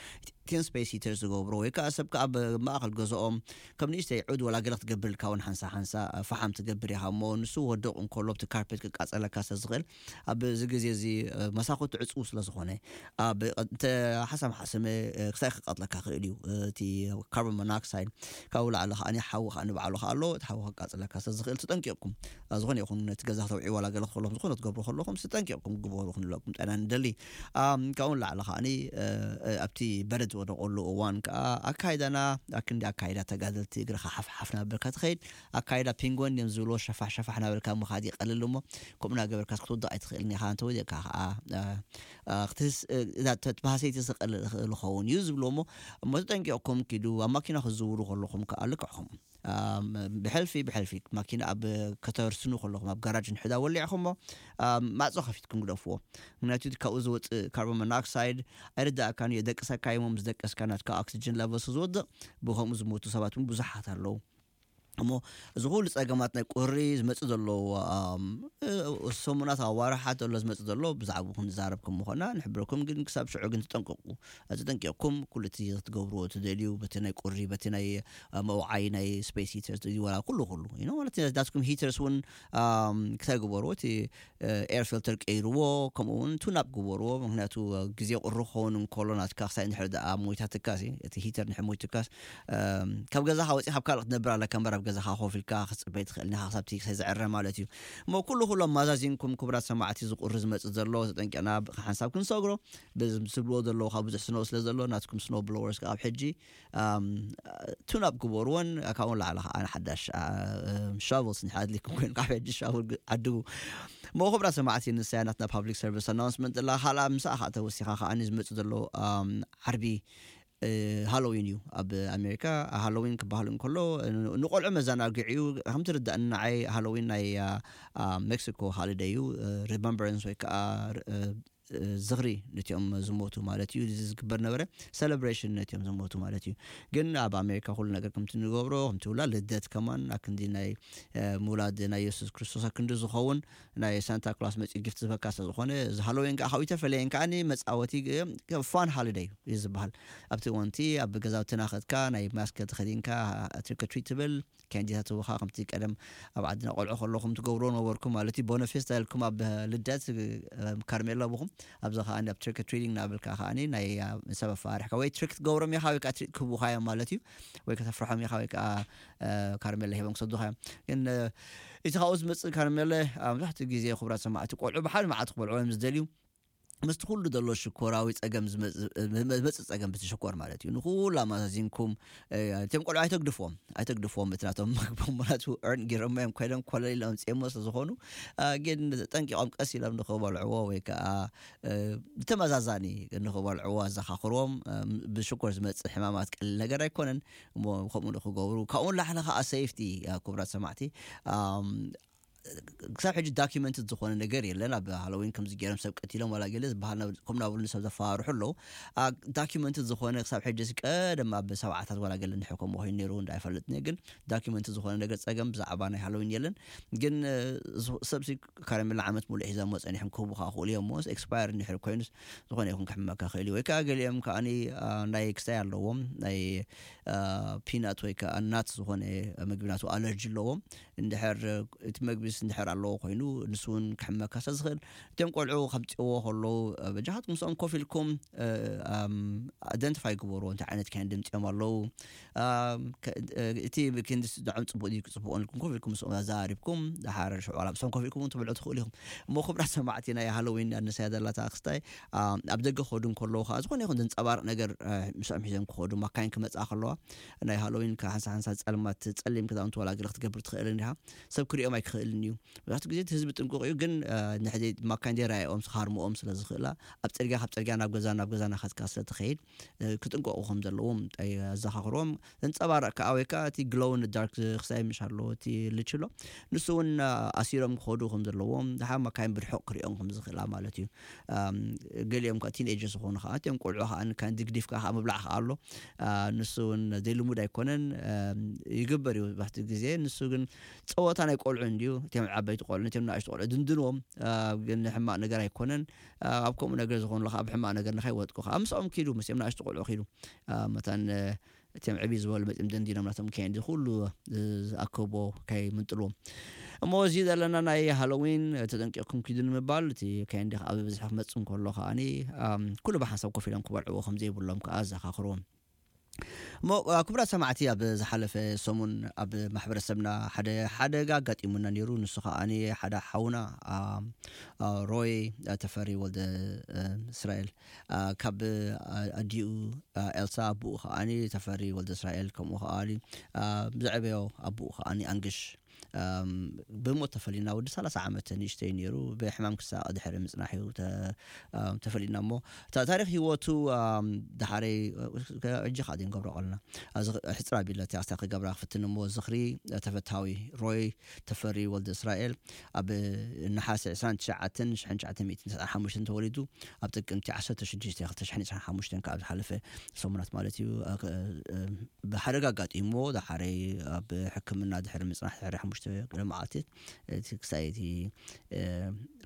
እቲን ስፔስ ሂተር ዝገብሮ ወይ ከኣ ሰብ ከኣ ኣብ ማእከል ገዛኦም ከም ንእሽተይ ዑድ ዋላ ገለ ክትገብር ኢልካ እውን ሓንሳ ሓንሳ፣ እ፣ ፈሓም ትገብር ኢኻ እሞ፣ ንሱ ወድቕ እንከሎ ኣብቲ ካርፔት ክቃጸለካ ስለ ዝኽእል፣ ኣብዚ ግዜ እዚ፣ እ፣ መሳኹቲ ዕጹው ስለ ዝኾነ፣ ኣብ እንተ ሓሳም ሓሰመ፣ እ፣ ክሳይ ክቃጽለካ ክእል እዩ። እ፣ እቲ ካርቦን ሞኖክሳይድ ካብኡ ላዕሊ ከኣ ሓዊ ከኣ ንባዕሉ ከኣ ኣሎ። እቲ ሓዊ ከቃጽለካ ስለ ዝኽእል ተጠንቂቕኩም፣ እ፣ ዝኾነ ይኹን ነቲ ገዛ ክተውዕዩ ዋላ ገለ ከለኹም፣ ዝኾነ ትገብሩ ከለኹም ተጠንቂቕኩም ግበሩ ክንብለኩም ጥዕና ንደሊ። ኣም፣ ካብኡ ንላዕሊ ከኣ፣ እ፣ እ፣ ኣብቲ በረድ ዝወደቐሉ እዋን ከኣ ኣካይዳና ኣክንዲ ኣካይዳ ተጋደልቲ እግርኻ ሓፍ ሓፍ ናበልካ ትኸይድ። ኣካይዳ ፒንጎን እዮም ዝብልዎ፣ ሸፋሕ ሸፋሕ ናበልካ ምኻድ ይቐልል እሞ፣ ከምኡ እናገበርካ ክትወድቕ ኣይትኽእልን ኢኻ። እንተወዲቕካ ከኣ፣ እ፣ እ፣ ክትህስ-፣ እ፣ እዛ ተ-፣ ተባህሰይቲ ስቕል ዝኽእል ይኸውን እዩ ዝብልዎ እሞ፣ እሞ ተጠንቂቕኩም ኪዱ። ኣብ ማኪና ክትዝውሩ ከለኹም ከኣ ልክዕኹም፣ ኣም፣ ብሕልፊ፣ ብሕልፊ ማኪና ኣብ ከተርስኑ ከለኹም ኣብ ጋራጅ እንድሕዳ ወሊዕኹሞ፣ ኣም፣ ማዕጾ ከፊትኩም ግደፍዎ። ምኽንያቱ እቲ ካብኡ ዝወጽእ ካርቦን ሞኖክሳይድ ኣይርዳእካን እዩ፣ የደቅሰካ እዩ እሞ፣ ምስ ደቀስካ ናትካ ኦክሲጅን ለቨልስ ዝወድቕ፣ ብኸምኡ ዝሞቱ ሰባት እውን ብዙሓት ኣለዉ። እሞ እዚ ኩሉ ጸገማት ናይ ቁሪ ዝመጽእ ዘሎ፣ ኣም፣ እ፣ ሰሙናት ኣዋርሓት ዘሎ ዝመጽእ ዘሎ ብዛዕባኡ ክንዛረብ ከም ምኾና ንሕብረኩም። ግን ክሳብ ሽዑ ግን ተጠንቀቁ። ተጠንቂቕኩም ኩሉ እቲ ክትገብርዎ ትደልዩ፣ በቲ ናይ ቁሪ፣ በቲ ናይ፣ እ፣ መውዓይ ናይ ስፔስ ሂተርስ፣ እዚ ወላ ኩሉ፣ ኩሉ፣ you know፣ ማለት ናትኩም ሂተርስ እውን፣ ኣም፣ ክሳይ ግበርዎ። እቲ፣ እ፣ ኤር ፊልተር ቀይርዎ፣ ከምኡ እውን ቱን ኣፕ ግበርዎ። ምክንያቱ፣ እ፣ ግዜ ቁሪ ክኸውን እንከሎ ናትካ ክሳይ እንድሕር ደኣ ሞይታትካሲ፣ እቲ ሂተር እንድሕር ሞይትካስ፣ እም፣ ካብ ገዛኻ ወጺኻ ኣብ ካልእ ክትነብር ኣለካ እምበር ኣብ ገዛኻ ኮፍ ኢልካ ክትጽበይ ትኽእል ኢኻ፣ ክሳብ እቲ ክሳይ ዝዕረ ማለት እዩ። እሞ ኩሉ ኩሉ ኣማዛዚንኩም ክቡራት ሰማዕቲ፣ እዚ ቁሪ ዝመጽእ ዘሎ ተጠንቂቕና ብ-፣ ሓንሳብ ክንሰግሮ፣ በዚ ዝብልዎ ዘለዉ ካብ ብዙሕ ስነው ስለ ዘሎ ናትኩም ስኖው ብሎወርስ ካብ ሕጂ፣ ኣም፣ ቱን ኣፕ ግበርዎን ካብኡ ንላዕሊ ከዓ ሓዳሽ፣ አ፣ ሻቨልስ እንድሕር ኣድልይኩም ኮይኑ ካብ ሕጂ ሻቨል ግ-፣ ዓድጉ። እሞ ክቡራት ሰማዕቲ፣ ንሳያ ናትና ፓብሊክ ሰርቪስ ኣናውንስመንት ኣላ። ካልኣ ምሳኣ ከዓ ተወሲኻ ከዓ ዝመጽእ ዘሎ፣ ኣም፣ ዓርቢ፣ እ፣ ሃሎዊን እዩ ኣብ ኣሜሪካ። ሃሎዊን ክበሃል እንከሎ ን-፣ ንቆልዑ መዘናግዒ እዩ። ከም ትርዳእኒ ንዓይ ሃሎዊን ናይ፣ አ፣ አ፣ ሜክሲኮ ሃሊደይ እዩ። እ፣ ሪመምበረንስ ወይ ከዓ፣ እ፣ እ፣ ዝኽሪ ነቲኦም ዝሞቱ ማለት እዩ። እዚ ዝግበር ነበረ ሰለብሬሽን ነቲኦም ዝሞቱ ማለት እዩ። ግን ኣብ ኣሜሪካ ኩሉ ነገር ከምቲ ንገብሮ፣ ከምቲ ውላ ልደት ከማን ኣክንዲ ናይ፣ እ፣ ምውላድ ናይ የሱስ ክርስቶስ ኣክንዲ ዝኸውን ናይ ሳንታ ክላስ መጺኡ ጊፍት ዝበካ ስለ ዝኾነ፣ እዚ ሃሎዊን ከዓ ካብኡ ይተፈለየን ከዓኒ መጻወቲ ግ-፣ ፋን ሃሊደይ እዩ ዝበሃል። ኣብቲ ወንቲ ኣብ ገዛውቲ ናኸድካ ናይ ማስክ ተኸዲንካ ትሪክ ትሪት ትብል፣ ካንዲታት ህቡኻ ከምቲ ቀደም ኣብ ዓድና ቆልዑ ከለኹም ትገብርዎ ነበርኩም ማለት እዩ። ቦነ ፌስታ ኢልኩም ኣብ ልደት፣ እ፣ ካርሜላ ብኹም፣ ኣብዚ ከዓኒ ኣብ ትሪክ ትሪቲንግ እናበልካ ከዓኒ ናይ፣ እ፣ ሰብ ኣፋሪሕካ ወይ ትሪክ ትገብሮም ኢኻ ወይ ከዓ ትሪክ ክህቡኻ እዮም ማለት እዩ። ወይ ከተፍርሖም ኢኻ ወይ ከዓ፣ እ፣ ካርሜላ ሂቦም ክሰዱኻ እዮም። ግን፣ እ፣ እቲ ካብኡ ዝመጽእ ካርሜላ ኣብ መብዛሕትኡ ግዜ ክቡራት ሰማዕቲ ቆልዑ ብሓደ መዓልቲ ክበልዑ እዮም ዝደልዩ። ምስቲ ኩሉ ዘሎ ሽኮራዊ ጸገም ዝመጽእ፣ ዝመጽእ ጸገም ብቲ ሽኮር ማለት እዩ። ንኹሉ ኣማዛዚንኩም፣ እ፣ እቶም ቆልዑ ኣይተግድፍዎም፣ ኣይተግድፍዎም እቲ ናቶም መግቦም፣ ምኽንያቱ እርን ጌሮሞ እዮም ኮይኖም ኮለል ኢሎም ኣምጺኦሞ ስለ ዝኾኑ፣ እ፣ ግን ጠንቂቖም ቀስ ኢሎም ንኽበልዕዎ ወይ ከኣ፣ እ፣ ብተመዛዛኒ ንኽበልዕዎ ኣዘኻኽርዎም። እ፣ ብሽኮር ዝመጽእ ሕማማት ቀሊል ነገር ኣይኮነን። እሞ ከምኡ ንኽገብሩ፣ ካብኡ ንላዕሊ ከኣ ሴፍቲ፣ እ፣ ክቡራት ሰማዕቲ፣ ኣም፣ ክሳብ ሕጂ ዳኪመንትድ ዝኾነ ነገር የለን። ኣብ ሃሎዊን ከምዚ ገይሮም ሰብ ቀቲሎም ዋላ ገለ ዝበሃል ናብ-፣ ከም ናብሉ ሰብ ዘፈራርሑ ኣለዉ። ኣ፣ ዳኪመንትድ ዝኾነ ክሳብ ሕጂ ቀደም ኣብ ሰብዓታት ዋላ ገለ እንድሕር ከምኡ ኮይኑ ነይሩ እንዳ ኣይፈልጥን እየ፣ ግን ዳኪመንትድ ዝኾነ ነገር ጸገም ብዛዕባ ናይ ሃሎዊን የለን። ግን፣ እ፣ ዝ-፣ ሰብሲ ካራሜላ ዓመት ሙሉእ ሒዞሞ ጸኒሖም ክህቡኻ ክኽእሉ እዮም። እሞ ኤክስፓየር እንድሕር ኮይኑስ ዝኾነ ይኹን ክሕመካ ክእል እዩ። ወይ ከኣ ገሊኦም ከኣኒ፣ ኣ፣ ናይ ክሳይ ኣለዎም፣ ናይ፣ አ፣ ፒናት ወይ ከኣ ናት ዝኾነ ምግቢ ናቱ ኣለርጂ ኣለዎም። እንድሕር እቲ መግቢስ እንድሕር ኣለዎ ኮይኑ፣ ንሱ እውን ክሕመካ ስለ ዝኽእል፣ እቶም ቆልዑ ከምጽእዎ ከለዉ፣ አ፣ በጃኻትኩም ምስኦም ኮፍ ኢልኩም፣ እ፣ ኣም፣ ኣደንቲፋይ ግበርዎ፣ እንታይ ዓይነት ካይንዲ ምጽኦም ኣለዉ። ኣም፣ ከ-፣ እ፣ እቲ ክንዲ ስድዖም ጽቡቕ ድዩ ክጽቡቕ ኢልኩም ኮፍ ኢልኩም ምስኦም ኣዘራሪብኩም፣ ድሓር ሽዑ ዋላ ምስኦም ኮፍ ኢልኩም እውን ትበልዑ ትኽእሉ ኢኹም። እሞ ክቡራት ሰማዕቲ፣ ናይ ሃሎዊን ኣነሳያ ዘላታ ክስታይ፣ ኣም፣ ኣብ ደገ ክኸዱ እንከለዉ ከኣ ዝኾነ ይኹን ዘንጸባርቕ ነገር፣ እ፣ ምስኦም ሒዞም ክኸዱ፣ ማካይን ክመጽኣ ከለዋ፣ ናይ ሃሎዊን ከ-፣ ሓንሳ ሓንሳ ጸልማት ጸሊም ክዳውንቲ ዋላ ገለ ክትገብር ትኽእልን ኢኻ። ሰብ ክሪኦም ኣይክኽእልን እዩ። መብዛሕትኡ ግዜ እቲ ህዝቢ ጥንቁቕ እዩ፣ ግን፣ እ፣ ንሕዚ ማካይን ደይረኣይኦም ክሃርምኦም ስለ ዝኽእላ፣ ኣብ ጽርግያ፣ ካብ ጽርግያ ናብ ገዛ፣ ናብ ገዛ እናኸድካ ስለ ትኸይድ፣ እ፣ ክጥንቀቑ ከም ዘለዎም ኣዘኻኽርዎም። ዘንጸባርቕ ከኣ ወይ ከኣ እቲ ግሎው ኢን ዳርክ ክሳይ ምሽ ኣሎ፣ እቲ ልችሎ፣ ንሱ እውን፣ እ፣ ኣሲሮም ክኸዱ ከም ዘለዎም፣ ደሓር ማካይን ብርሑቕ ክሪኦም ከም ዝኽእላ ማለት እዩ። ኣም፣ ገሊኦም ከኣ ቲንኤጀርስ ዝኾኑ ከኣ፣ እቲኦም ቆልዑ ከኣ ንካን ድግዲፍካ ከኣ ምብላዕ ከኣ ኣሎ። አ፣ ንሱ እውን ዘይልሙድ ኣይኮነን። ኣም፣ ይግበር እዩ መብዛሕትኡ ግዜ። ንሱ ግን ጸወታ ናይ ቆልዑ እንድዩ። እቲኦም ዓበይቲ ቆልዑ፣ ነቲኦም ንኣሽቱ ቆልዑ ድንድንዎም። አ፣ ግን ሕማቕ ነገር ኣይኮነን። አ፣ ኣብ ከምኡ ነገር ዝኾኑ ከኣ፣ ኣብ ሕማቕ ነገር ንኸይወድቁ ከኣ፣ ምስኦም ኪዱ፣ ምስኦም ንኣሽቱ ቆልዑ ኪዱ። አ፣ መታን፣ እ፣ እቲኦም ዕብይ ዝበሉ መጺኦም ደንዲኖም ናቶም ከየንዲ ኩሉ፣ እ፣ ዝኣከብዎ ከይምንጥልዎም። እሞ እዚ ዘለና ናይ ሃሎዊን፣ እ፣ ተጠንቂቕኩም ኪዱ ንምባል፣ እቲ ከየንዲ ከኣ ብብዝሒ ክመጽእ እንከሎ ከኣኒ፣ ኣም፣ ኩሉ ብሓንሳብ ኮፍ ኢሎም ክበልዕዎ ከም ዘይብሎም ከኣ ኣዘኻኽርዎም። እሞ፣ እ፣ ክቡራት ሰማዕቲ፣ ኣብ ዝሓለፈ ሰሙን ኣብ ማሕበረሰብና ሓደ ሓደጋ ኣጋጢሙና ነይሩ። ንሱ ከኣኒ ሓደ ሓውና፣ ኣም፣ እ፣ ሮይ፣ እ፣ ተፈሪ ወልደ፣ እ፣ እስራኤል፣ እ፣ ካብ፣ እ፣ ኣዲኡ፣ እ፣ ኤልሳ፣ ኣቦኡ ከኣኒ ተፈሪ ወልደ እስራኤል፣ ከምኡ ከኣኒ፣ እ፣ ዘዕበዮ ኣቦኡ ከኣኒ ኣንግሽ፣ ብሞት ተፈሊና። ወዲ ሰላሳ ዓመት ንእሽተይ ነይሩ፣ ብሕማም ክሳቐ ድሕሪ ምፅናሕ እዩ ተፈሊና። እሞ ታሪክ ህይወቱ ዳሓረይ ሕጂ ካዲ ንገብሮ ቀልና ሕፅራ ቢለት ኣስታ ክገብራ ክፍትን። እሞ ዝኽሪ ተፈታዊ ሮይ ተፈሪ ወልደ እስራኤል ኣብ ነሓሰ ዕስራን ትሽዓተን ሽሕን ትሽዓተ ሚእትን ተስዓን ሓሙሽተን ተወሊዱ፣ ኣብ ጥቅምቲ ዓሰርተ ሽዱሽተ ክልተ ሽሕን ዕስራን ሓሙሽተን ካብ ዝሓለፈ ሰሙናት ማለት እዩ። ብሓደጋ ኣጋጢሞ ዳሓረይ ኣብ ሕክምና ድሕሪ ምፅናሕ ድሕሪ ሓሙሽተ ገለ መዓልቲ ክሳይቲ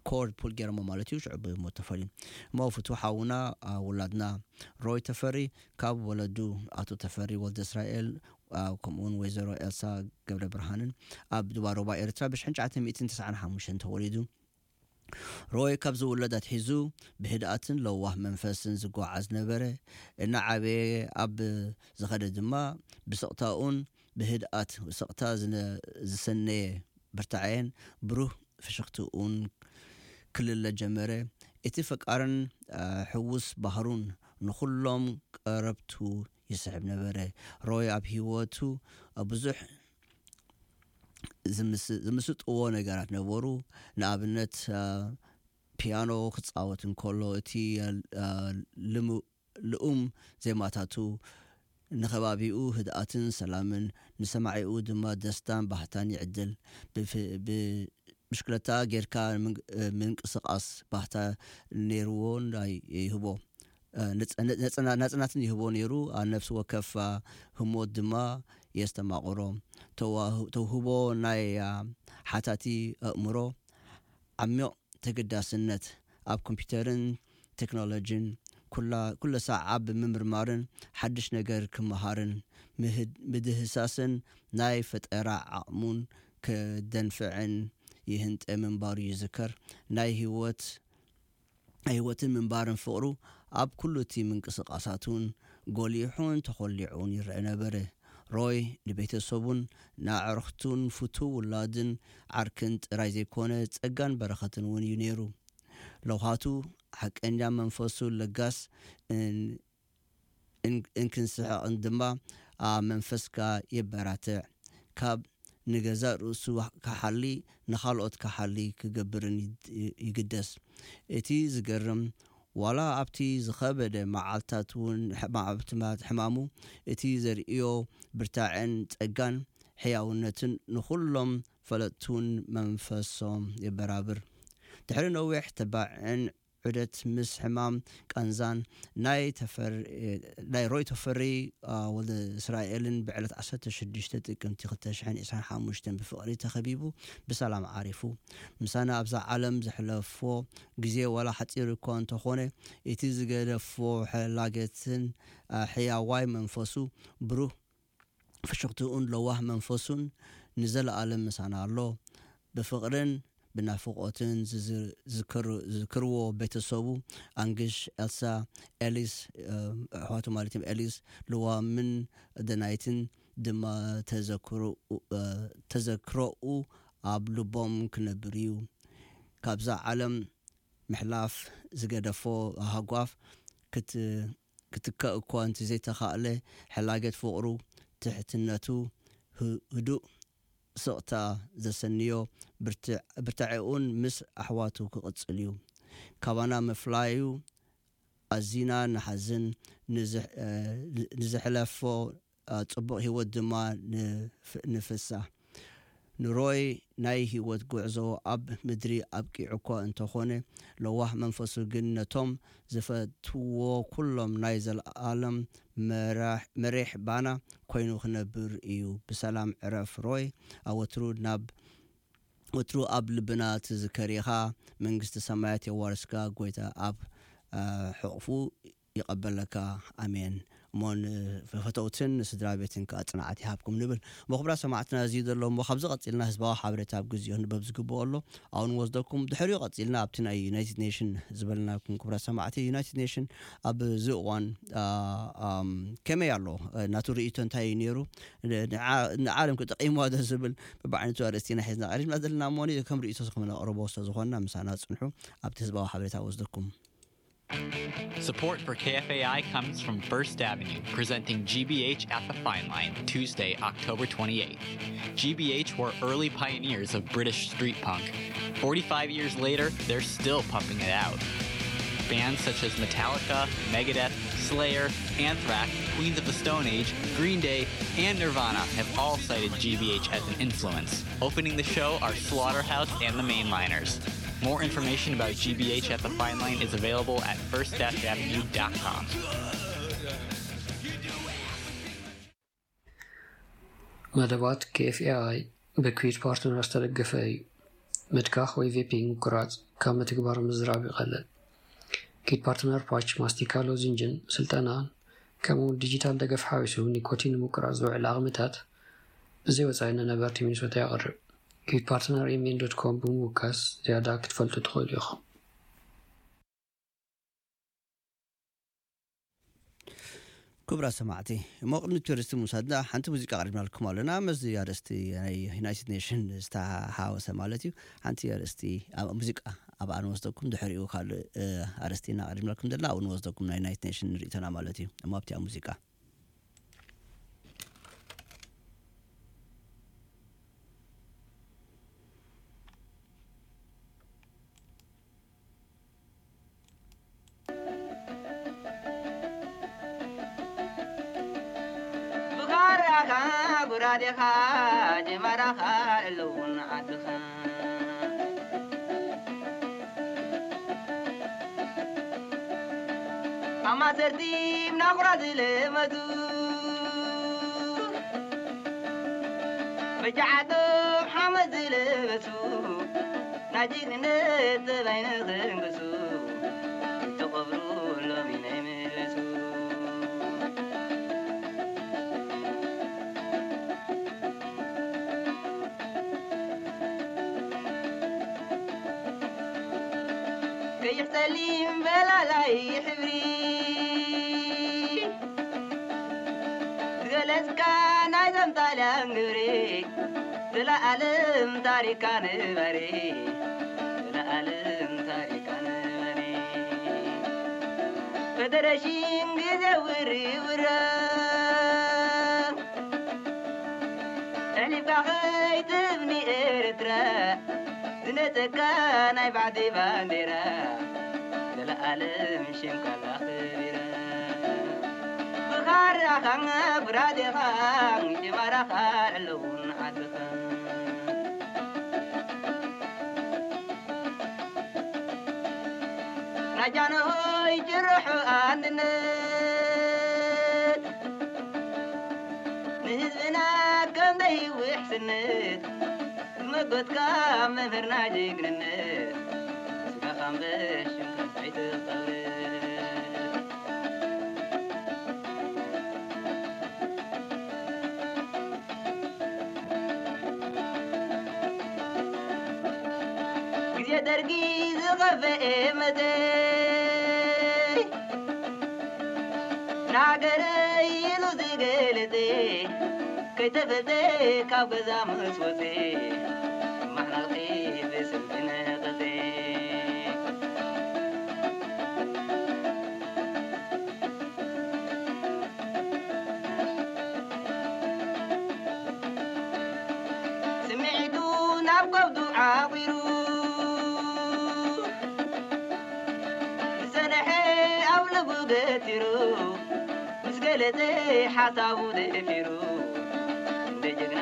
ኮርድ ፑል ገይሮሞ ማለት እዩ። ሽዑ ብሞት ተፈልዩ። እሞ ፍቱ ሓውና ውላድና ሮይ ተፈሪ ካብ ወለዱ ኣቶ ተፈሪ ወልደ እስራኤል ከምኡውን ወይዘሮ ኤልሳ ገብረ ብርሃንን ኣብ ዱባሮባ ኤርትራ ብሽሕን ትሽዓተ ሚእትን ተስዓን ሓሙሽተን ተወሊዱ። ሮይ ካብ ዝውለድ ኣትሒዙ ብህድኣትን ለዋህ መንፈስን ዝጓዓዝ ነበረ። እናዓበየ ኣብ ዝኸደ ድማ ብስቕታኡን ብህድኣት ስቕታ ዝሰነየ ብርታዐን ብሩህ ፍሽኽትኡን ክልለ ጀመረ። እቲ ፈቃርን ሕውስ ባህሩን ንኹሎም ቀረብቱ ይስሕብ ነበረ። ሮይ ኣብ ህይወቱ ብዙሕ ዝምስጥዎ ነገራት ነበሩ። ንኣብነት ፒያኖ ክፃወት እንከሎ እቲ ልኡም ዜማታቱ ንኸባቢኡ ህድኣትን ሰላምን፣ ንሰማዒኡ ድማ ደስታን ባህታን ይዕድል። ብሽክለታ ጌርካ ምንቅስቃስ ባህታ ነይርዎ ናይ ይህቦ ናጽናትን ይህቦ ነይሩ። ኣብ ነፍሲ ወከፍ ህሞት ድማ የስተማቕሮ። ተውህቦ ናይ ሓታቲ ኣእምሮ ዓሚቕ ተገዳስነት ኣብ ኮምፒውተርን ቴክኖሎጂን ኩላ ኩለ ሳዕ ኣብ ምምርማርን ሓድሽ ነገር ክመሃርን ምህድ- ምድህሳስን ናይ ፈጠራ ዓቕሙን ከደንፍዕን ይህንጠ ምንባሩ ይዝከር። ናይ ህይወት ናይ ህይወትን ምንባርን ፍቕሩ ኣብ ኩሉ እቲ ምንቅስቃሳቱን ጎሊሑን ተኾሊዑን ይረአ ነበረ። ሮይ ንቤተሰቡን ንኣዕርኽቱን ፍቱው ውላድን ዓርክን ጥራይ ዘይኮነ ጸጋን በረኸትን እውን እዩ ነይሩ። ለውሃቱ ሓቀኛ መንፈሱ ለጋስ እንክንስሕቕን ድማ ኣብ መንፈስካ የበራትዕ። ካብ ንገዛእ ርእሱ ክሓሊ ንኻልኦት ክሓሊ ክገብርን ይግደስ። እቲ ዝገርም ዋላ ኣብቲ ዝኸበደ መዓልታት እውን ሕማሙ እቲ ዘርእዮ ብርታዕን ጸጋን ሕያውነትን ንኹሎም ፈለጥቱን መንፈሶም የበራብር። ድሕሪ ነዊሕ ተባዕን ዑደት ምስ ሕማም ቃንዛን ናይ ሮይ ተፈሪ ወልደ እስራኤልን ብዕለት ዓሰርተ ሽዱሽተ ጥቅምቲ ክልተ ሽሕን ዕስራን ሓሙሽተን ብፍቕሪ ተኸቢቡ ብሰላም ዓሪፉ። ምሳና ኣብዛ ዓለም ዘሕለፎ ግዜ ዋላ ሓፂር እኳ እንተኾነ እቲ ዝገደፎ ሕላገትን ሕያዋይ መንፈሱ ብሩህ ፍሽኽትኡን ለዋህ መንፈሱን ንዘለኣለም ምሳና ኣሎ። ብፍቕርን ብናፍቖትን ዝዝክርዎ ቤተሰቡ፣ ኣንግሽ፣ ኤልሳ፣ ኤሊስ፣ ኣሕዋቱ ማለት እዮም፣ ኤሊስ፣ ልዋምን ደናይትን ድማ ተዘክሮኡ ኣብ ልቦም ክነብር እዩ። ካብዛ ዓለም ምሕላፍ ዝገደፎ ሃጓፍ ክትከእ እኳ እንተዘይተኻእለ፣ ሕላገት ፍቕሩ፣ ትሕትነቱ፣ ህዱእ ስቕታ ዘሰንዮ ብርታዐኡን ምስ ኣሕዋቱ ክቕጽል እዩ። ካባና ምፍላዩ ኣዚና ንሓዝን፣ ንዘሕለፎ ጽቡቕ ህይወት ድማ ንፍሳ። ንሮይ ናይ ህይወት ጉዕዞ ኣብ ምድሪ ኣብቂዑ እኳ እንተኾነ፣ ለዋህ መንፈሱ ግን ነቶም ዝፈትዎ ኩሎም ናይ ዘለኣለም መራሕ ባና ኮይኑ ክነብር እዩ። ብሰላም ዕረፍ ሮይ፣ ኣወትሩ ናብ ወትሩ ኣብ ልብና ትዝከር ኢኻ። መንግስቲ ሰማያት የዋርስካ፣ ጎይታ ኣብ ሕቕፉ ይቐበለካ። ኣሜን። እሞ ንፈተውትን ንስድራ ቤትን ከዓ ጽንዓት ይሃብኩም ንብል። እሞ ክቡራት ሰማዕትና፣ እዚ ዘሎ እሞ ካብዚ ቀጺልና ህዝባዊ ሓበሬታ ኣብ ግዜኡ ክንበብ ዝግብኦ ኣሎ፣ ኣብኡ ንወስደኩም። ድሕሪኡ ቀጺልና ኣብቲ ናይ ዩናይትድ ኔሽን ዝበልናኩም፣ ክቡራት ሰማዕቲ፣ ዩናይትድ ኔሽን ኣብዚ እዋን ከመይ ኣሎ፣ ናቱ ርእይቶ እንታይ እዩ ነይሩ፣ ንዓለም ክጠቂምዋ ዶ ዝብል በብዓይነቱ ኣርእስቲ ኢና ሒዝና ቀሪብና ዘለና። እሞ ከም ርእይቶ ክነቕርቦ ስለ ዝኾንና ምሳና ጽንሑ። ኣብቲ ህዝባዊ ሓበሬታ ወስደኩም። Support for K F A I comes from First Avenue, presenting G B H at the Fine Line, Tuesday, October twenty-eighth. G B H were early pioneers of British street punk. Forty-five years later, they're still pumping it out. Bands such as Metallica, Megadeth, Slayer, Anthrax, Queens of the Stone Age, Green Day, and Nirvana have all cited G B H as an influence. Opening the show are Slaughterhouse and the Mainliners. More information about G B H at the Fine Line is available at first dash avenue dot com. መደባት K F A I ብኩዊት ፓርትነር ዝተደገፈ እዩ። ምትካኽ ወይ ቬፒንግ ምቁራጽ ካብ ምትግባር ምዝራብ ይቐልል። ኩዊት ፓርትነር ፓች፣ ማስቲካ፣ ሎዚንጅን ስልጠናን ከምኡ እውን ዲጂታል ደገፍ ሓዊሱ ኒኮቲን ንምቁራጽ ዝውዕል ዓቕምታት ብዘይ ወጻኢ ንነበርቲ ሚኒሶታ የቕርብ። ኩዊት ፓርትነር M N dot com ብምውካስ ዝያዳ ክትፈልጡ ትኽእሉ ኢኹም። ክቡራት ሰማዕቲ፣ እሞ ቅድሚ ቱሪስት ምውሳድና ሓንቲ ሙዚቃ ኣቕሪብናልኩም ኣለና። ምስዚ ኣርእስቲ ናይ ዩናይትድ ኔሽን ዝተሓወሰ ማለት እዩ። ሓንቲ ኣርእስቲ ኣብ ሙዚቃ ኣብኣ ንወስደኩም፣ ድሕሪኡ ካልእ ኣርእስቲ ኢና ኣቕሪብናልኩም ዘለና፣ ኣብኡ ንወስደኩም ናይ ዩናይትድ ኔሽን ንርእይቶና ማለት እዩ። እሞ ኣብቲኣ ሙዚቃ ብኻራኻ ጉራዴኻ ጀማራኻ ኣለውን ዓድኻ ኣማሰርቲም ናኹራ ዝለመቱ በጃዓቶም ሓመድ ዝለበሱ ናይ ጅግንነት ጠባይ ንኽንግሱ ዝተቐብሩ ሎሚ ናይ መለሱ ቀይሕ ጸሊም በላላይ ሕብሪ ዝገለጽካ ናይ ዘምጣልያን ግብሪ ዘለኣለም ታሪካ ንበሪ ዘለኣለም ታሪካ ንበሪ ፈደረሽን ግዜ ውሪ ውረ ኣሕሊፍካ ከይትህብኒ ኤርትራ ዝነጸካ ናይ ባዕዲ ባንዴራ ዘለኣለም ሽምካ ኣኽቢረ ብኻራኻ ብራዴኻ ጅማራኻ ኣለውን ዓድኻ ናጃንሆይ ጭርሑ ኣንድነት ንህዝብና ከም ደይውሕስነት ዝመጎትካ መምህርና ጅግንነት ስጋኻ እምበር ሽምካ ኣይትቐብር ግዜ ደርጊ ዝኸፈኤ መተይ ንሃገረይ ኢሉ ዝገለጸ ከይተፈልጠ ካብ ገዛ ምስ ወፀ ማሕናልቂ ብስልኪ ነቐፀ ስምዒቱ ናብ ከብዱ ዓቑሩ ዝጸንሐ ኣብ ልቡ ገቲሩ ምስ ገለጸ ሓሳቡ ደፊሩ እንደ ጀግና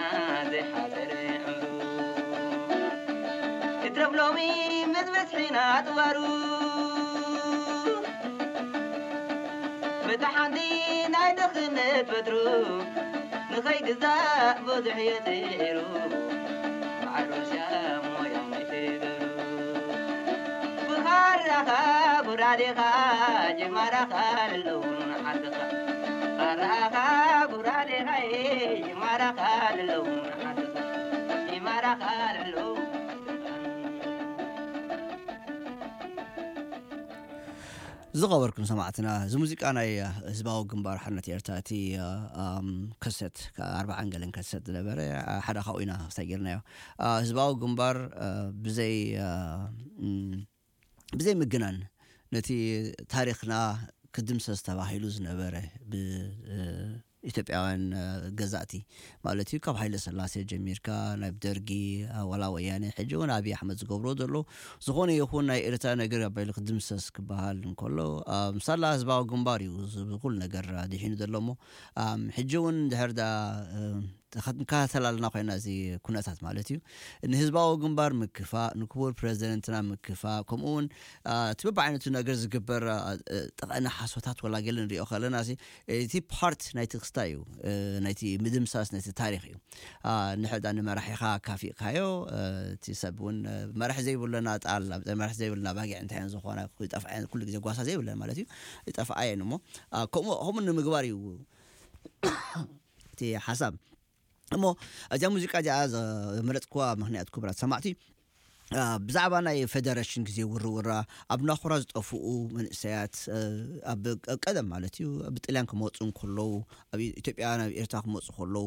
ዘይሓጸረ ዕምሩ እትረፍ ሎሚ ምስ ብዝሒ ናጥዋሩ በታ ሓንቲ ናይ ድኽነት በትሩ ንኸይግዛእ ብዙሕ እየ ጽዒሩ መዓል ሩስያ ሞያ ናይ ትግሩ ብኻራኻ ጉራዴኻ ጅማራኻ ለለውን ዓድኻ ኻራኻ ጉራዴኻ ጅማራኻ ለለውን ዓድኻ ጅማራኻ ለለውን ዝኸበርኩም ሰማዕትና፣ እዚ ሙዚቃ ናይ ህዝባዊ ግንባር ሓርነት ኤርትራ፣ እቲ ከሰት ኣርባዓን ገለን ከሰት ዝነበረ ሓደ ካብኡ ኢና ክሳይ ጌርናዮ። ህዝባዊ ግንባር ብዘይ ብዘይ ምግናን እቲ ታሪኽና ክድምሰስ ተባሂሉ ዝነበረ ብኢትዮጵያውያን ገዛእቲ ማለት እዩ። ካብ ሃይለ ስላሴ ጀሚርካ ናብ ደርጊ፣ ዋላ ወያነ፣ ሕጂ እውን ኣብይ ኣሕመድ ዝገብሮ ዘሎ ዝኾነ ይኹን ናይ ኤርትራ ነገር ኣባይሉ ክድምሰስ ክበሃል እንከሎ፣ ምሳላ ህዝባዊ ግንባር እዩ እዚ ኩሉ ነገር ድሒኑ ዘሎ እሞ፣ ሕጂ እውን ድሕር ዳ ተኸታተላልና ኮይና እዚ ኩነታት ማለት እዩ። ንህዝባዊ ግንባር ምክፋእ፣ ንክቡር ፕሬዚደንትና ምክፋእ፣ ከምኡ እውን እቲ በብዓይነቱ ነገር ዝግበር ጠቐነ ሓሶታት ወላ ገለ ንሪኦ ከለና እቲ ፓርት ናይቲ ክስታ እዩ፣ ናይቲ ምድምሳስ ናይቲ ታሪክ እዩ። ንሕዳ ንመራሒኻ ካፊእካዮ፣ እቲ ሰብ እውን መራሒ ዘይብለና ጣል መራሒ ዘይብለና ባጊዕ እንታይ ዝኾና ይጠፍዓ ኩሉ ግዜ ጓሳ ዘይብለን ማለት እዩ። ይጠፍዓ እየን እሞ ከምኡ ከምኡ ንምግባር እዩ እቲ ሓሳብ። እሞ እዚኣ ሙዚቃ እዚኣ ዘመረፅኩዋ ምክንያት ክቡራት ሰማዕቲ፣ ብዛዕባ ናይ ፌደሬሽን ግዜ ውርውራ፣ ኣብ ናኹራ ዝጠፍኡ መንእሰያት፣ ኣብ ቀደም ማለት እዩ ብጥልያን ክመፁ እንከለዉ፣ ኣብ ኢትዮጵያ ናብ ኤርትራ ክመፁ ከለዉ፣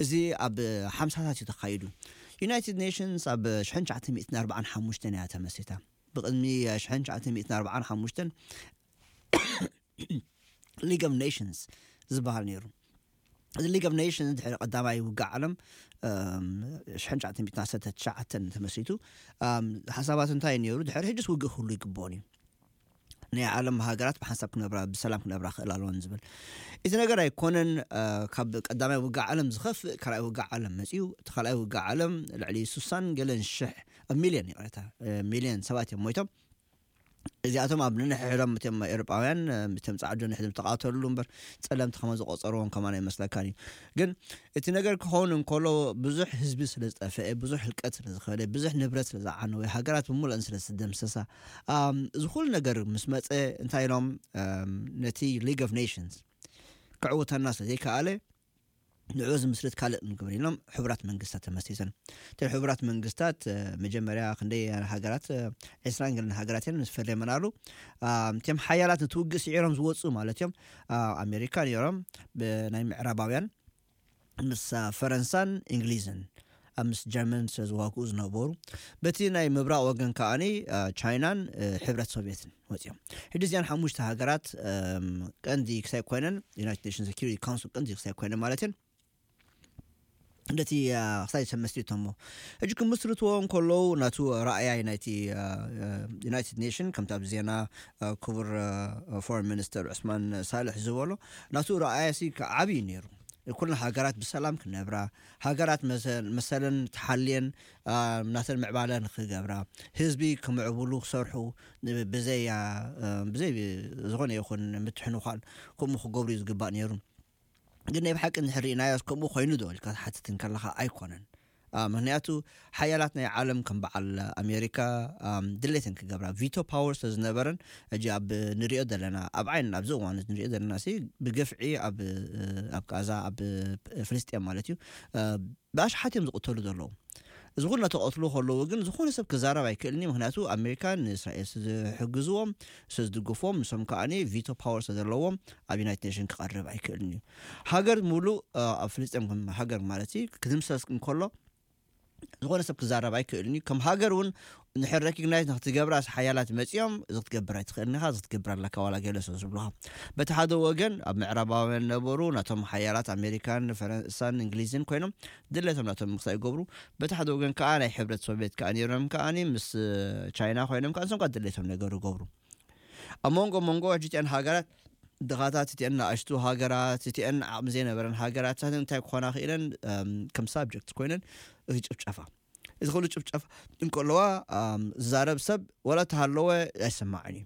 እዚ ኣብ ሓምሳታት እዩ ተኻይዱ። ዩናይትድ ኔሽንስ ኣብ ሽሕን ትሽዓተ ሚእትን ኣርባዓን ሓሙሽተን እያ ተመስሪታ። ብቕድሚ ሽሕን ትሽዓተ ሚእትን ኣርባዓን ሓሙሽተን ሊግ ኦፍ ኔሽንስ ዝበሃል ነይሩ። እዚ ሊግ ኦፍ ኔሽንስ ድሕሪ ቀዳማይ ውግእ ዓለም ሽሕን ትሽዓተ ሚእትን ዓሰርተ ትሽዓተን ተመስሪቱ። ሓሳባት እንታይ ነይሩ? ድሕሪ ሕጅስ ውግእ ክህሉ ይግብኦን እዩ። ናይ ዓለም ሃገራት ብሓንሳብ ክነብራ ብሰላም ክነብራ ክእል ኣለዎን ዝብል እቲ ነገር ኣይኮነን። ካብ ቀዳማይ ውግእ ዓለም ዝኸፍእ ካልኣይ ውግእ ዓለም መፅዩ። እቲ ካልኣይ ውግእ ዓለም ልዕሊ ሱሳን ገለን ሽሕ ሚልዮን ይቕረታ ሚልዮን ሰባት እዮም ሞይቶም። እዚኣቶም ኣብ ንንሕሕዶም እቶም ኤውሮጳውያን እቶም ጻዕዱ ንሕድም ተቃተሉ እምበር ጸለምቲ ከመ ዝቆጸርዎም ከማን ኣይመስለካን እዩ። ግን እቲ ነገር ክኸውን እንከሎ ብዙሕ ህዝቢ ስለ ዝጠፍአ፣ ብዙሕ ህልቀት ስለ ዝኸደ፣ ብዙሕ ንብረት ስለ ዝዓነወ፣ ሃገራት ብምሉእን ስለ ዝተደምሰሳ፣ እዚ ኩሉ ነገር ምስ መጸ እንታይ ኢሎም ነቲ ሊግ ኦፍ ኔሽንስ ክዕውተና ስለ ዘይከኣለ ንዑ ዝምስርት ካልእ ንግበር ኢሎም ሕቡራት መንግስታት ተመስሪተን። እተን ሕቡራት መንግስታት መጀመርያ ክንደይ ሃገራት፣ ዕስራን ገለን ሃገራት እየን ምስ ፈረመናሉ። እቶም ሓያላት ንትውግእ ስዒሮም ዝወፁ ማለት እዮም። ኣሜሪካ ነይሮም፣ ብናይ ምዕራባውያን ምስ ፈረንሳን እንግሊዝን ኣብ ምስ ጀርመን ስለ ዝዋግኡ ዝነበሩ፣ በቲ ናይ ምብራቕ ወገን ከዓኒ ቻይናን ሕብረት ሶቪየትን ወፂኦም። ሕጂ እዚኣን ሓሙሽተ ሃገራት ቀንዲ ክሳይ ኮይነን፣ ዩናይትድ ኔሽንስ ሴኪሪቲ ካውንስል ቀንዲ ክሳይ ኮይነን ማለት እየን። ነቲ ክሳይ ተመስሪቶሞ ሕጂ ክምስርትዎ እንከለዉ ናቱ ረኣያይ ናይቲ ዩናይትድ ኔሽን ከምቲ ኣብ ዜና ክቡር ፎረን ሚኒስተር ዑስማን ሳልሕ ዝበሎ ናቱ ረኣያ ሲ ዓብዪ እዩ ነይሩ። ኩለን ሃገራት ብሰላም ክነብራ፣ ሃገራት መሰለን ተሓልየን ናተን ምዕባለ ንክገብራ፣ ህዝቢ ክምዕብሉ ክሰርሑ፣ ብዘይ ብዘይ ዝኾነ ይኹን ምትሕንኳን ከምኡ ክገብሩ እዩ ዝግባእ ነይሩ። ግን ናይ ብሓቂ እንድሕር ርኢናዮስ ከምኡ ኮይኑ ዶ ኢልካ ትሓትት እንከለኻ ኣይኮነን። ምክንያቱ ሓያላት ናይ ዓለም ከም በዓል ኣሜሪካ ድሌተን ክገብራ ቪቶ ፓወር ስለ ዝነበረን፣ ሕጂ ኣብ ንሪኦ ዘለና ኣብ ዓይን ኣብዚ እዋን ንሪኦ ዘለና ሲ ብግፍዒ ኣብ ኣብ ጋዛ ኣብ ፍልስጤም ማለት እዩ ብኣሽሓት እዮም ዝቕተሉ ዘለዉ። እዚ ኩሉ እናተቐትሉ ከለዉ ግን ዝኾነ ሰብ ክዛረብ ኣይክእልኒ። ምክንያቱ ኣሜሪካ ንእስራኤል ስዝሕግዝዎም ስዝድግፍዎም ንሶም ከዓኒ ቪቶ ፓወር ስለዘለዎም ኣብ ዩናይትድ ኔሽን ክቐርብ ኣይክእልን እዩ። ሃገር ሙሉእ ኣብ ፍልስጤም ሃገር ማለት ክድምሰስ እንከሎ ዝኾነ ሰብ ክዛረብ ኣይክእልን እዩ። ከም ሃገር እውን ንሕር ረኪግናይዝ ንክትገብራ ሓያላት መፂኦም እዚ ክትገብር ኣይትኽእልን ኢኻ፣ እዚ ክትገብር ኣለካ ዋላ ገለ ስለ ዝብሉኻ። በቲ ሓደ ወገን ኣብ ምዕራባውያን ነበሩ ናቶም ሓያላት ኣሜሪካን ፈረንሳን እንግሊዝን ኮይኖም ድሌቶም ናቶም ምክሳይ ይገብሩ። በቲ ሓደ ወገን ከዓ ናይ ሕብረት ሶቪየት ከዓ ነይሮም ከዓኒ ምስ ቻይና ኮይኖም ከዓ ንሶም ከዓ ድሌቶም ነገር ይገብሩ። ኣብ መንጎ መንጎ ሕጂ እቲአን ሃገራት ድኻታት እቲአን ንኣሽቱ ሃገራት እቲአን ዓቕሚ ዘይነበረን ሃገራት እንታይ ክኾና ክኢለን ከም ሳብጀክት ኮይነን እዚ ጭፍጨፋ እዚ ኩሉ ጭፍጨፋ እንከለዋ ዝዛረብ ሰብ ወላ ተሃለወ ኣይሰማዕን እዩ።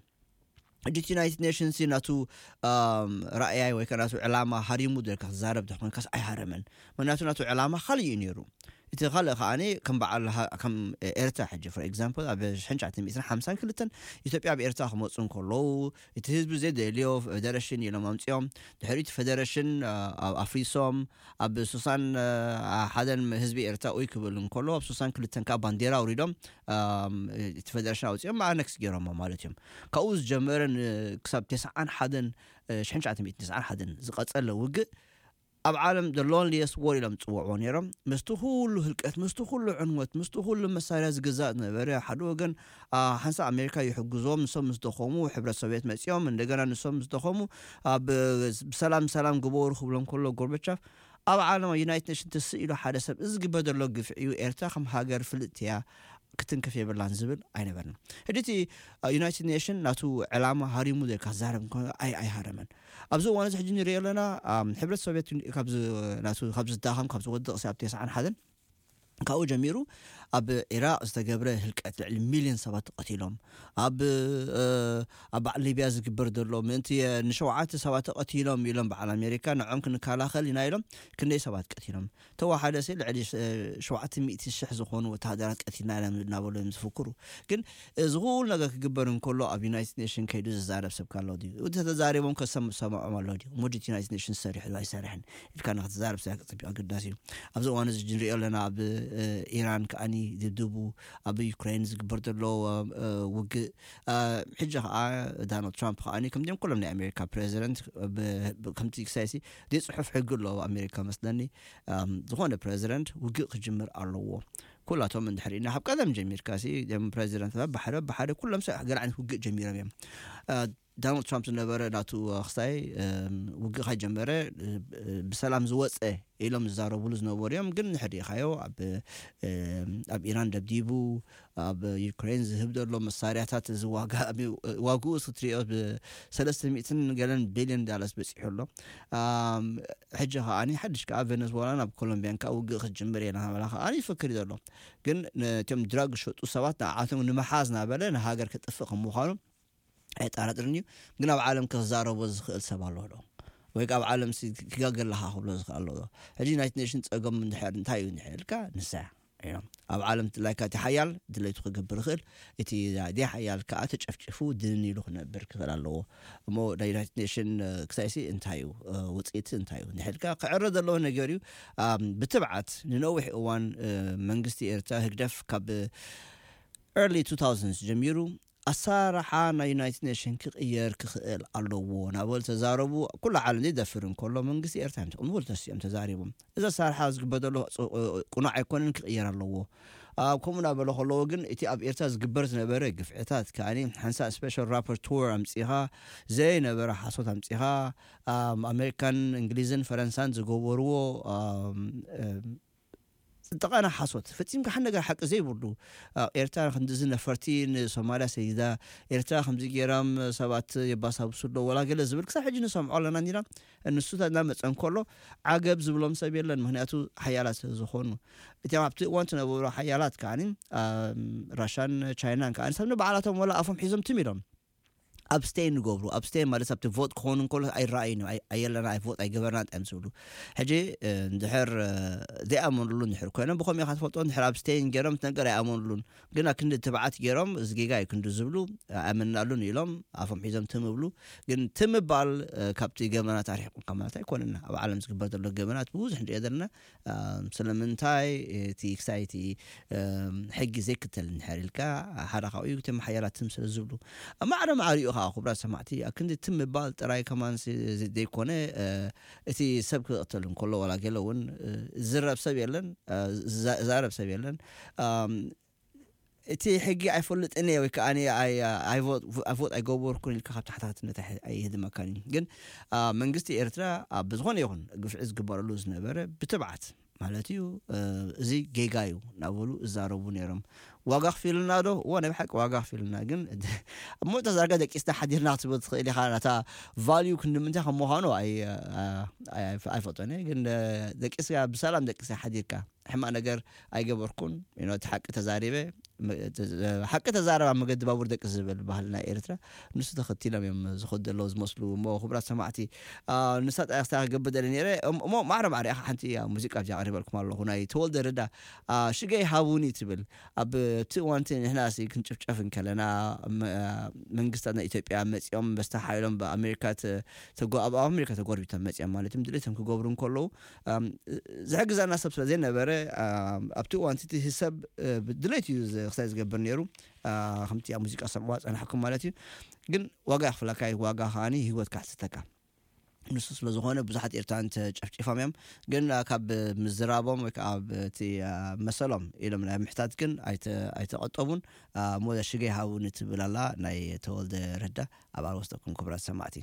ሕጂ እቲ ዩናይትድ ኔሽንስ ናቱ ራእያይ ወይ ከ ናቱ ዕላማ ሃሪሙ ደልካ ክዛረብ ተኮንካስ ኣይሃረመን። ምክንያቱ ናቱ ዕላማ ካልእ እዩ ነይሩ። እቲ ካልእ ከዓኒ ከም በዓል ከም ኤርትራ ሕጂ for example ኣብ ሽሕን ትሽዓተ ሚእትን ሓምሳን ክልተን ኢትዮጵያ ኣብ ኤርትራ ክመፁ እንከለዉ እቲ ህዝቢ ዘደልዮ ፌደሬሽን ኢሎም ኣምፅኦም ድሕሪ እቲ ፌደሬሽን ኣፍሪሶም ኣብ ሱሳን ሓደን ህዝቢ ኤርትራ ኡይ ክብል እንከሎ ኣብ ሱሳን ክልተን ከዓ ባንዴራ ኣውሪዶም እቲ ፌደሬሽን ኣውፅኦም ኣነክስ ገይሮሞ ማለት እዮም። ካብኡ ዝጀመረ ክሳብ ተስዓን ሓደን ሽሕን ትሽዓተ ሚእትን ተስዓን ሓደን ዝቐፀለ ውግእ ኣብ ዓለም the loneliest war ኢሎም ዝፅውዕዎ ነይሮም። ምስቲ ኩሉ ህልቀት፣ ምስቲ ኩሉ ዕንወት፣ ምስቲ ኩሉ መሳርያ ዝግዛእ ዝነበረ፣ ሓደ ወገን ሓንሳእ ኣሜሪካ ይሕግዞም፣ ንሶም ምስ ደኸሙ ሕብረት ሶቪየት መፂኦም፣ እንደገና ንሶም ምስ ደኸሙ ኣብ ብሰላም ሰላም ግበሩ ክብሎም ከሎ ጎርበቻፍ ኣብ ዓለም ዩናይትድ ኔሽን ትስእ ኢሉ ሓደ ሰብ እዚ ዝግበር ዘሎ ግፍዒ እዩ፣ ኤርትራ ከም ሃገር ፍልጥቲ እያ ክትንክፍ የብላን ዝብል ኣይነበርና። ሕጂ እቲ ዩናይትድ ኔሽን ናቱ ዕላማ ሃሪሙ ዘካ ዛረብ እንኳ ኣይ ኣይሃረመን። ኣብዚ እዋን እዚ ሕጂ ንሪኦ ኣለና። ሕብረት ሶቪየት ካብዚ ናቱ ካብ ዝዳኸም ካብ ዝወድቕ ሲ ኣብ ተስዓን ሓደን ካብኡ ጀሚሩ ኣብ ኢራቅ ዝተገብረ ህልቀት ልዕሊ ሚልዮን ሰባት ተቐቲሎም፣ ኣብ ኣብ በዓል ሊብያ ዝግበር ዘሎ ምእንቲ ንሸውዓተ ሰባት ተቐቲሎም ኢሎም በዓል ኣሜሪካ ንዖም ክንከላኸል ኢና ኢሎም ክንደይ ሰባት ቀቲሎም። ተወሓደ ሲ ልዕሊ ሸውዓተ ሚእቲ ሽሕ ዝኾኑ ወተሃደራት ቀቲልና ኢና እናበሉ እዮም ዝፍክሩ። ግን እዚ ኩሉ ነገር ክግበር እንከሎ ኣብ ዩናይትድ ኔሽን ከይዱ ዝዛረብ ሰብ ካሎ ድዩ? ተዛሪቦም ከሰምዖም ኣሎ ድዩ? ሙጅት ዩናይትድ ኔሽን ሰሪሑ ኣይሰርሕን ኢልካ ንክትዛረብ ሰብ ኣገዳሲ እዩ። ኣብዚ እዋን እዚ ንሪኦ ኣለና ኣብ ኢራን ከዓኒ ድብድቡ ኣብ ዩክሬን ዝግበር ዘሎ ውግእ ሕጂ ከዓ ዳናልድ ትራምፕ ከዓ ከምዚኦም ኩሎም ናይ ኣሜሪካ ፕሬዚደንት ከምቲ ክሳይሲ ዘይፅሑፍ ሕጊ ኣሎ ኣብ ኣሜሪካ መስለኒ። ዝኾነ ፕሬዚደንት ውግእ ክጅምር ኣለዎ። ኩላቶም እንድሕር ኢና ካብ ቀደም ጀሚርካ ሲ ም ፕሬዚደንት ብሓደ ብሓደ ኩሎም ሰብ ገለ ዓይነት ውግእ ጀሚሮም እዮም። ዳናልድ ትራምፕ ዝነበረ ናቱ ክስታይ ውግእ ከጀመረ ብሰላም ዝወፀ ኢሎም ዝዛረብሉ ዝነበሩ እዮም። ግን ንሕዲኻዮ ኣብ ኢራን ደብዲቡ ኣብ ዩክሬን ዝህብ ዘሎ መሳርያታት እዚ ዋጋ ዋግኡ ክትሪኦ ብሰለስተ ሚእትን ገለን ቢልዮን ዳላርስ በፂሑ ኣሎ። ሕጂ ከዓኒ ሓድሽ ከዓ ቬነዝዌላ ናብ ኮሎምቢያን ከዓ ውግእ ክትጅምር እየ ናበላ ከዓኒ ይፍክር ዘሎ። ግን ነቶም ድራግ ዝሸጡ ሰባት ንዓቶም ንምሓዝ ናበለ ንሃገር ክጥፍእ ከም ምዃኑ ኣይጠራጥርን እዩ። ግን ኣብ ዓለም ክዛረቦ ዝኽእል ሰብ ኣሎ ዶ? ወይ ከዓ ኣብ ዓለም ክጋገለካ ክብሎ ዝኽእል ኣሎ ዶ? ሕጂ ዩናይትድ ኔሽን ፀገም እንታይ እዩ እንድሕር ኢልካ ንሳ እዮም ኣብ ዓለም ድላይካ እቲ ሓያል ድለይቱ ክገብር ይኽእል። እቲ ደይ ሓያል ከዓ ተጨፍጭፉ ድንን ኢሉ ክነብር ክኽእል ኣለዎ። እሞ ናይ ዩናይትድ ኔሽን ክሳይሲ እንታይ እዩ ውፅኢት እንታይ እዩ ንሕልካ ክዕረ ዘለዎ ነገር እዩ። ብትብዓት ንነዊሕ እዋን መንግስቲ ኤርትራ ህግደፍ ካብ early two thousands ጀሚሩ ኣሰራርሓ ናይ ዩናይትድ ኔሽን ክቕየር ክኽእል ኣለዎ ናበሉ ተዛረቡ። ኩሉ ዓለም ዘይደፍር እንከሎ መንግስቲ ኤርትራ ንብሉ ተሲኦም ተዛሪቦም። እዚ ኣሰራርሓ ዝግበር ዘሎ ቁኑዕ ኣይኮነን ክቕየር ኣለዎ። ኣብ ከምኡ ናበለ ከለዎ ግን እቲ ኣብ ኤርትራ ዝግበር ዝነበረ ግፍዕታት ከዓኒ ሓንሳ ስፔሻል ራፖርተር ኣምፂኻ ዘይነበረ ሓሶት ኣምፂኻ ኣሜሪካን እንግሊዝን ፈረንሳን ዝገበርዎ ዝጠቐነ ሓሶት ፈፂምካ ሓደ ነገር ሓቂ ዘይብሉ። ኤርትራ ክንድዚ ነፈርቲ ንሶማልያ ሰይዳ፣ ኤርትራ ከምዚ ገይሮም ሰባት የባሳብሱ ኣሎ ወላ ገለ ዝብል ክሳብ ሕጂ ንሰምዖ ኣለና እንዲና። ንሱ እናመፀ እንከሎ ዓገብ ዝብሎም ሰብ የለን። ምክንያቱ ሓያላት ዝኾኑ እቲም ኣብቲ እዋን ዝነበሩ ሓያላት ከዓኒ ራሻን ቻይናን ከዓኒ ሰብ ንባዕላቶም ወላ ኣፎም ሒዞም ትም ኢሎም ኣብስቴን ይገብሩ። ኣብስቴን ማለት ኣብቲ ቮት ክኾኑ እንከሎ ኣይረኣዩን እዮም። ኣየለና ኣይ ቮት ኣይገበርና እንታይ እዮም ዝብሉ። ሕጂ እንድሕር ዘይኣመንሉ እንድሕር ኮይኖም ብኸም ኢኻ ትፈልጦ። እንድሕር ኣብስቴን ገይሮም እቲ ነገር ኣይኣመንሉን። ግን ኣክንዲ ትብዓት ገይሮም እዚ ጌጋ እዩ ክንዱ ዝብሉ ኣይኣመንናሉን ኢሎም ኣፎም ሒዞም ትም ይብሉ። ግን ትም ምባል ካብቲ ገበናት ኣርሒቑካ ማለት ኣይኮነን። ኣብ ዓለም ዝግበር ዘሎ ገበናት ብብዙሕ ንሪኦ ዘለና ስለምንታይ እቲ ክሳይ እቲ ሕጊ ዘይክተል እንድሕር ኢልካ ሓደ ካብኡ እቶም ሓያላት ትም ስለ ዝብሉ። ማዕረ ማዕሪኡ ከዓ ክቡራት ሰማዕቲ ኣብ ክንዲ ትም ምባል ጥራይ ከማን ዘይኮነ እቲ ሰብ ክቕተል እንከሎ ዋላ ገለ እውን ዝረብ ሰብ የለን። ዛረብ ሰብ የለን። እቲ ሕጊ ኣይፈልጥን እየ ወይ ከዓ ኣይቮት ኣይገበርኩን ኢልካ ካብ ተሓታትነት ኣይህድመካን እዩ። ግን መንግስቲ ኤርትራ ብዝኾነ ይኹን ግፍዒ ዝግበረሉ ዝነበረ ብትብዓት ማለት እዩ። እዚ ጌጋ እዩ እናበሉ እዛረቡ ነይሮም። ዋጋ ክፊልና ዶ? እዎ ናይ ብሓቂ ዋጋ ክፊልና። ግን እሞ ተዛርጋ ደቂስና ሓዲርና ክትብል ትኽእል ኢኻ። ናታ ቫልዩ ክንዲ ምንታይ ከም ምዃኑ ኣይፈጦን እየ። ግን ደቂስካ ብሰላም ደቂስካ ሓዲርካ ሕማቕ ነገር ኣይገበርኩን። እቲ ሓቂ ተዛሪበ ሓቂ ተዛረብ ኣብ መገዲ ባቡር ደቂ ዝብል ባህልና ኤርትራ ንሱ ተኸቲሎም እዮም ዝኸዱ ዘለዉ ዝመስሉ። እሞ ክቡራት ሰማዕቲ ንሳ ጣያስታ ክገብር ደለ ነረ። እሞ ማዕረ ማዕረ ኢኻ ሓንቲ ሙዚቃ ኣብዚኣ ኣቕሪበልኩም ኣለኹ። ናይ ተወልደ ረዳ ሽገይ ሃቡኒ ትብል ኣብ እቲ እዋንቲ ንሕና ክንጭፍጨፍ እንከለና መንግስታት ናይ ኢትዮጵያ መፂኦም በስተ ሓይሎም ብኣሜሪካ ኣብ ኣሜሪካ ተጎርቢቶም መፂኦም ማለት እዮም ድሌቶም ክገብሩ እንከለዉ ዝሕግዘና ሰብ ስለ ዘይነበረ ኣብቲ እዋን እቲ ሰብ ድሌት እዩ ክሳይ ዝገብር ነይሩ። ከምቲ ኣብ ሙዚቃ ሰምዕዋ ፀናሕኩም ማለት እዩ። ግን ዋጋ ይኽፍለካ እዩ። ዋጋ ከዓኒ ህይወት ካሕትተካ። ንሱ ስለ ዝኾነ ብዙሓት ኤርትራውያን ተጨፍጪፎም እዮም። ግን፣ አ፣ ካብ ምዝራቦም ወይ ከዓ ኣብ እቲ፣ አ፣ መሰሎም ኢሎም ናይ ምሕታት ግን ኣይተ-፣ ኣይተቐጠቡን። አ፣ እሞ ሽገ ሃቡኒ ትብል ኣላ ናይ ተወልደ ረዳ። ኣብ ኣርወስተኩም ክብራት ሰማዕቲ።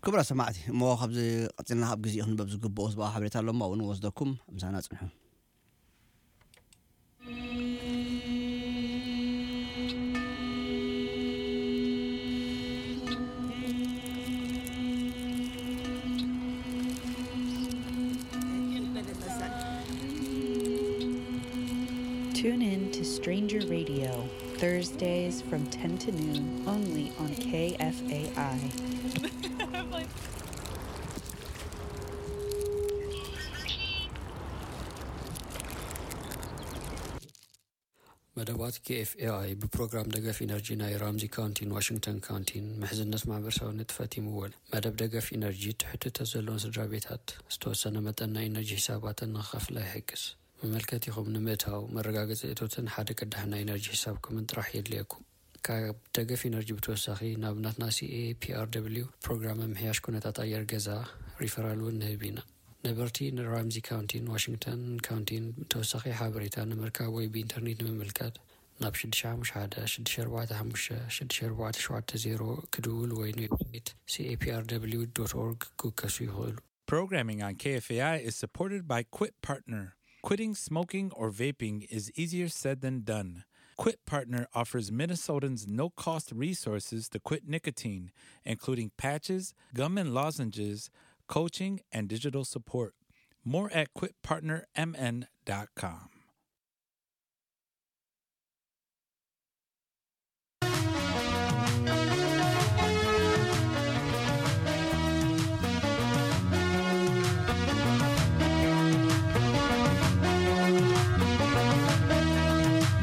ክቡራት ሰማዕቲ፣ እሞ ካብዚ ቀጺልና ካብ ግዜኡ ክንበብ ዝግብኦ ህዝባዊ ሓበሬታ ኣሎ እሞ ኣብኡ ንወስደኩም፣ ምሳና ጽንሑ። Tune in to Stranger Radio, Thursdays from ten to noon, only on K F A I. መደባት ኬኤፍኤኣይ ብፕሮግራም ደገፍ ኢነርጂ ናይ ራምዚ ካውንቲን ዋሽንግተን ካውንቲን ምሕዝነት ማሕበረሰባዊ ንጥፈት ይምወል። መደብ ደገፍ ኢነርጂ ትሕቲ እቶት ዘለወን ስድራ ቤታት ዝተወሰነ መጠን ናይ ኢነርጂ ሒሳባተን ንኽኸፍላ ይሕግዝ። መመልከቲኹም ንምእታው መረጋገፂ እቶትን ሓደ ቅዳሕ ናይ ኢነርጂ ሒሳብኩምን ጥራሕ የድልየኩም። ካብ ደገፍ ኢነርጂ ብተወሳኺ ናብ ናትና ሲኤፒኣርደብሊው ፕሮግራም ምምሕያሽ ኩነታት ኣየር ገዛ ሪፈራል እውን ንህብ ኢና። ነበርቲ ንራምዚ ካውንቲን ዋሽንግተን ካውንቲን ተወሳኺ ሓበሬታ ንምርካብ ወይ ብኢንተርኔት ንምምልካት ናብ ሽዱሽተ ሓሙሽተ ሓደ፣ ሽዱሽተ ኣርባዕተ ሓሙሽተ፣ ሽዱሽተ ኣርባዕተ ሸውዓተ ዜሮ ክድውሉ ወይ ንዌብሳይት ሲኤፒኣርደብሊው ዶት ኦርግ ክውከሱ ይኽእሉ። Programming on K F A I is supported by Quit Partner. Quitting smoking or vaping is easier said than done. Quit Partner offers Minnesotans no cost resources to quit nicotine, including patches, gum and lozenges, coaching, and digital support. More at quit partner M N dot com.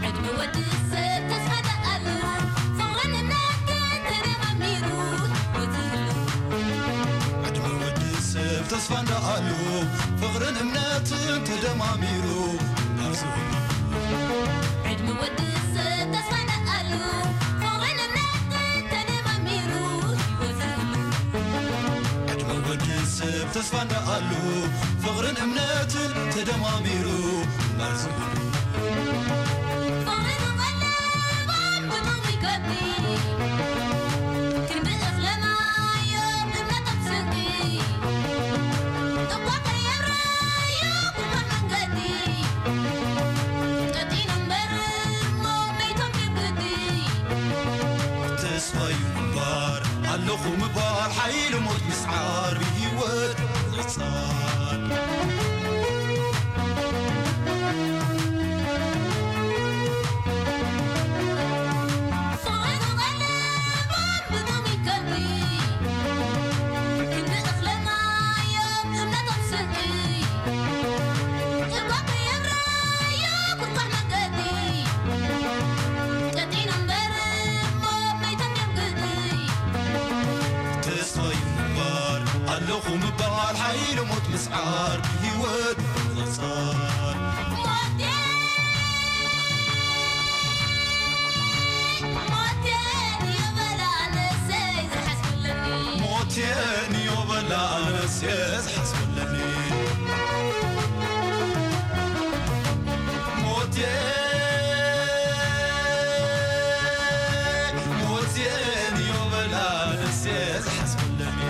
ዕድመ ወዲ ተስፋ እንዳኣሉ ፍቕርን እምነትን ተደማሚሩ። ዕድመ ወዲ ሰብ ተስፋ እንዳኣሉ ፍቕርን እምነትን ተደማሚሩ። ህይወት ዕድመ ወዲ ሰብ ተስፋ እንዳኣሉ ፍቕርን እምነትን ተደማሚሩ። ተስፋዩ ምንባር ኣለኹ ምባል ሓይሊ ሞት ምስዓር ብህይወት ምቕጻል። ተስፋዩ ምንባር ኣለኹ ምባል ሓይሊ ሞት ምስዓር ብህይወት ምቕጻል። ሞቴን ዮበላ ኣነሰ ዝሓስበለኒ። ሞቴ ሞቴን ዮበላ ኣነሰ ዝሓስበለኒ።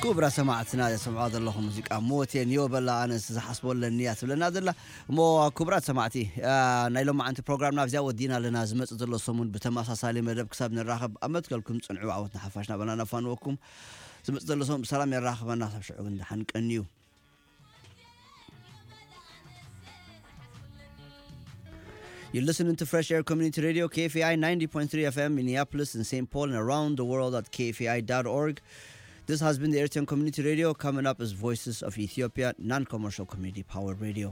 ክቡራት ሰማዕትና ዘሰምዖ ዘለኹ ሙዚቃ ሞቴን ዮበላ ኣነስ ዝሓስቦ ኣለኒ እያ ትብለና ዘላ። እሞ ክቡራት ሰማዕቲ፣ ናይ ሎማዓንቲ ፕሮግራምና ኣብዚኣ ወዲና ኣለና። ዝመጽእ ዘሎ ሰሙን ብተመሳሳሊ መደብ ክሳብ ንራኸብ ኣብ መትከልኩም ጽንዑ። ዓወት ንሓፋሽና በናና ፋንወኩም። ዝመጽእ ዘሎ ሰሙን ብሰላም የራኽበና። ክሳብ ሽዑ ግን ደሓን ቀንዩ። You're listening to Fresh Air Community Radio, K F A I ninety point three F M, Minneapolis and Saint Paul, and around the world at K F A I dot org. This has been the Eritrean Community Radio. Coming up is Voices of Ethiopia, non-commercial community powered radio.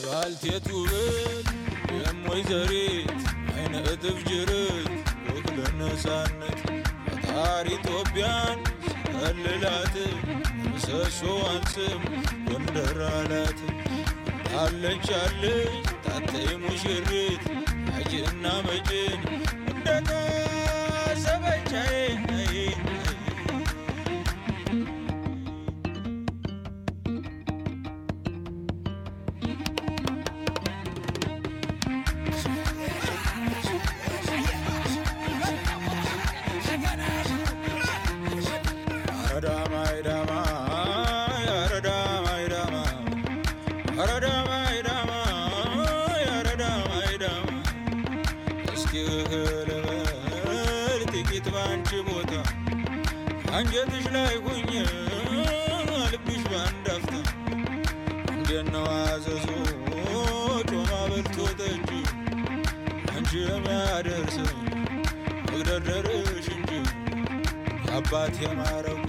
ባልቴት ውበት የም ወይዘሪት፣ ዓይነ እጥፍ ጅርት፣ ውክል ነፃነት፣ ፈጣሪ ኢትዮጵያን ሰልላት፣ ምሰሶዋን ስም ጎንደር ኣላት። አለች አለች ታተይ ሙሽሪት፣ አጅና መጅን እንደታሰበቻዬ። እስኪ ልበል ጥቂት ባንቺ ቦታ፣ አንጀትሽ ላይ ሆኜ ልብሽ ባንድ አፍታ። እንዴት ነው አዘዞ ጮማ በልቶ ጠጅ፣ አንቺ የሚያደርስ መግደርደርሽ እንጂ። የአባት የማረጉ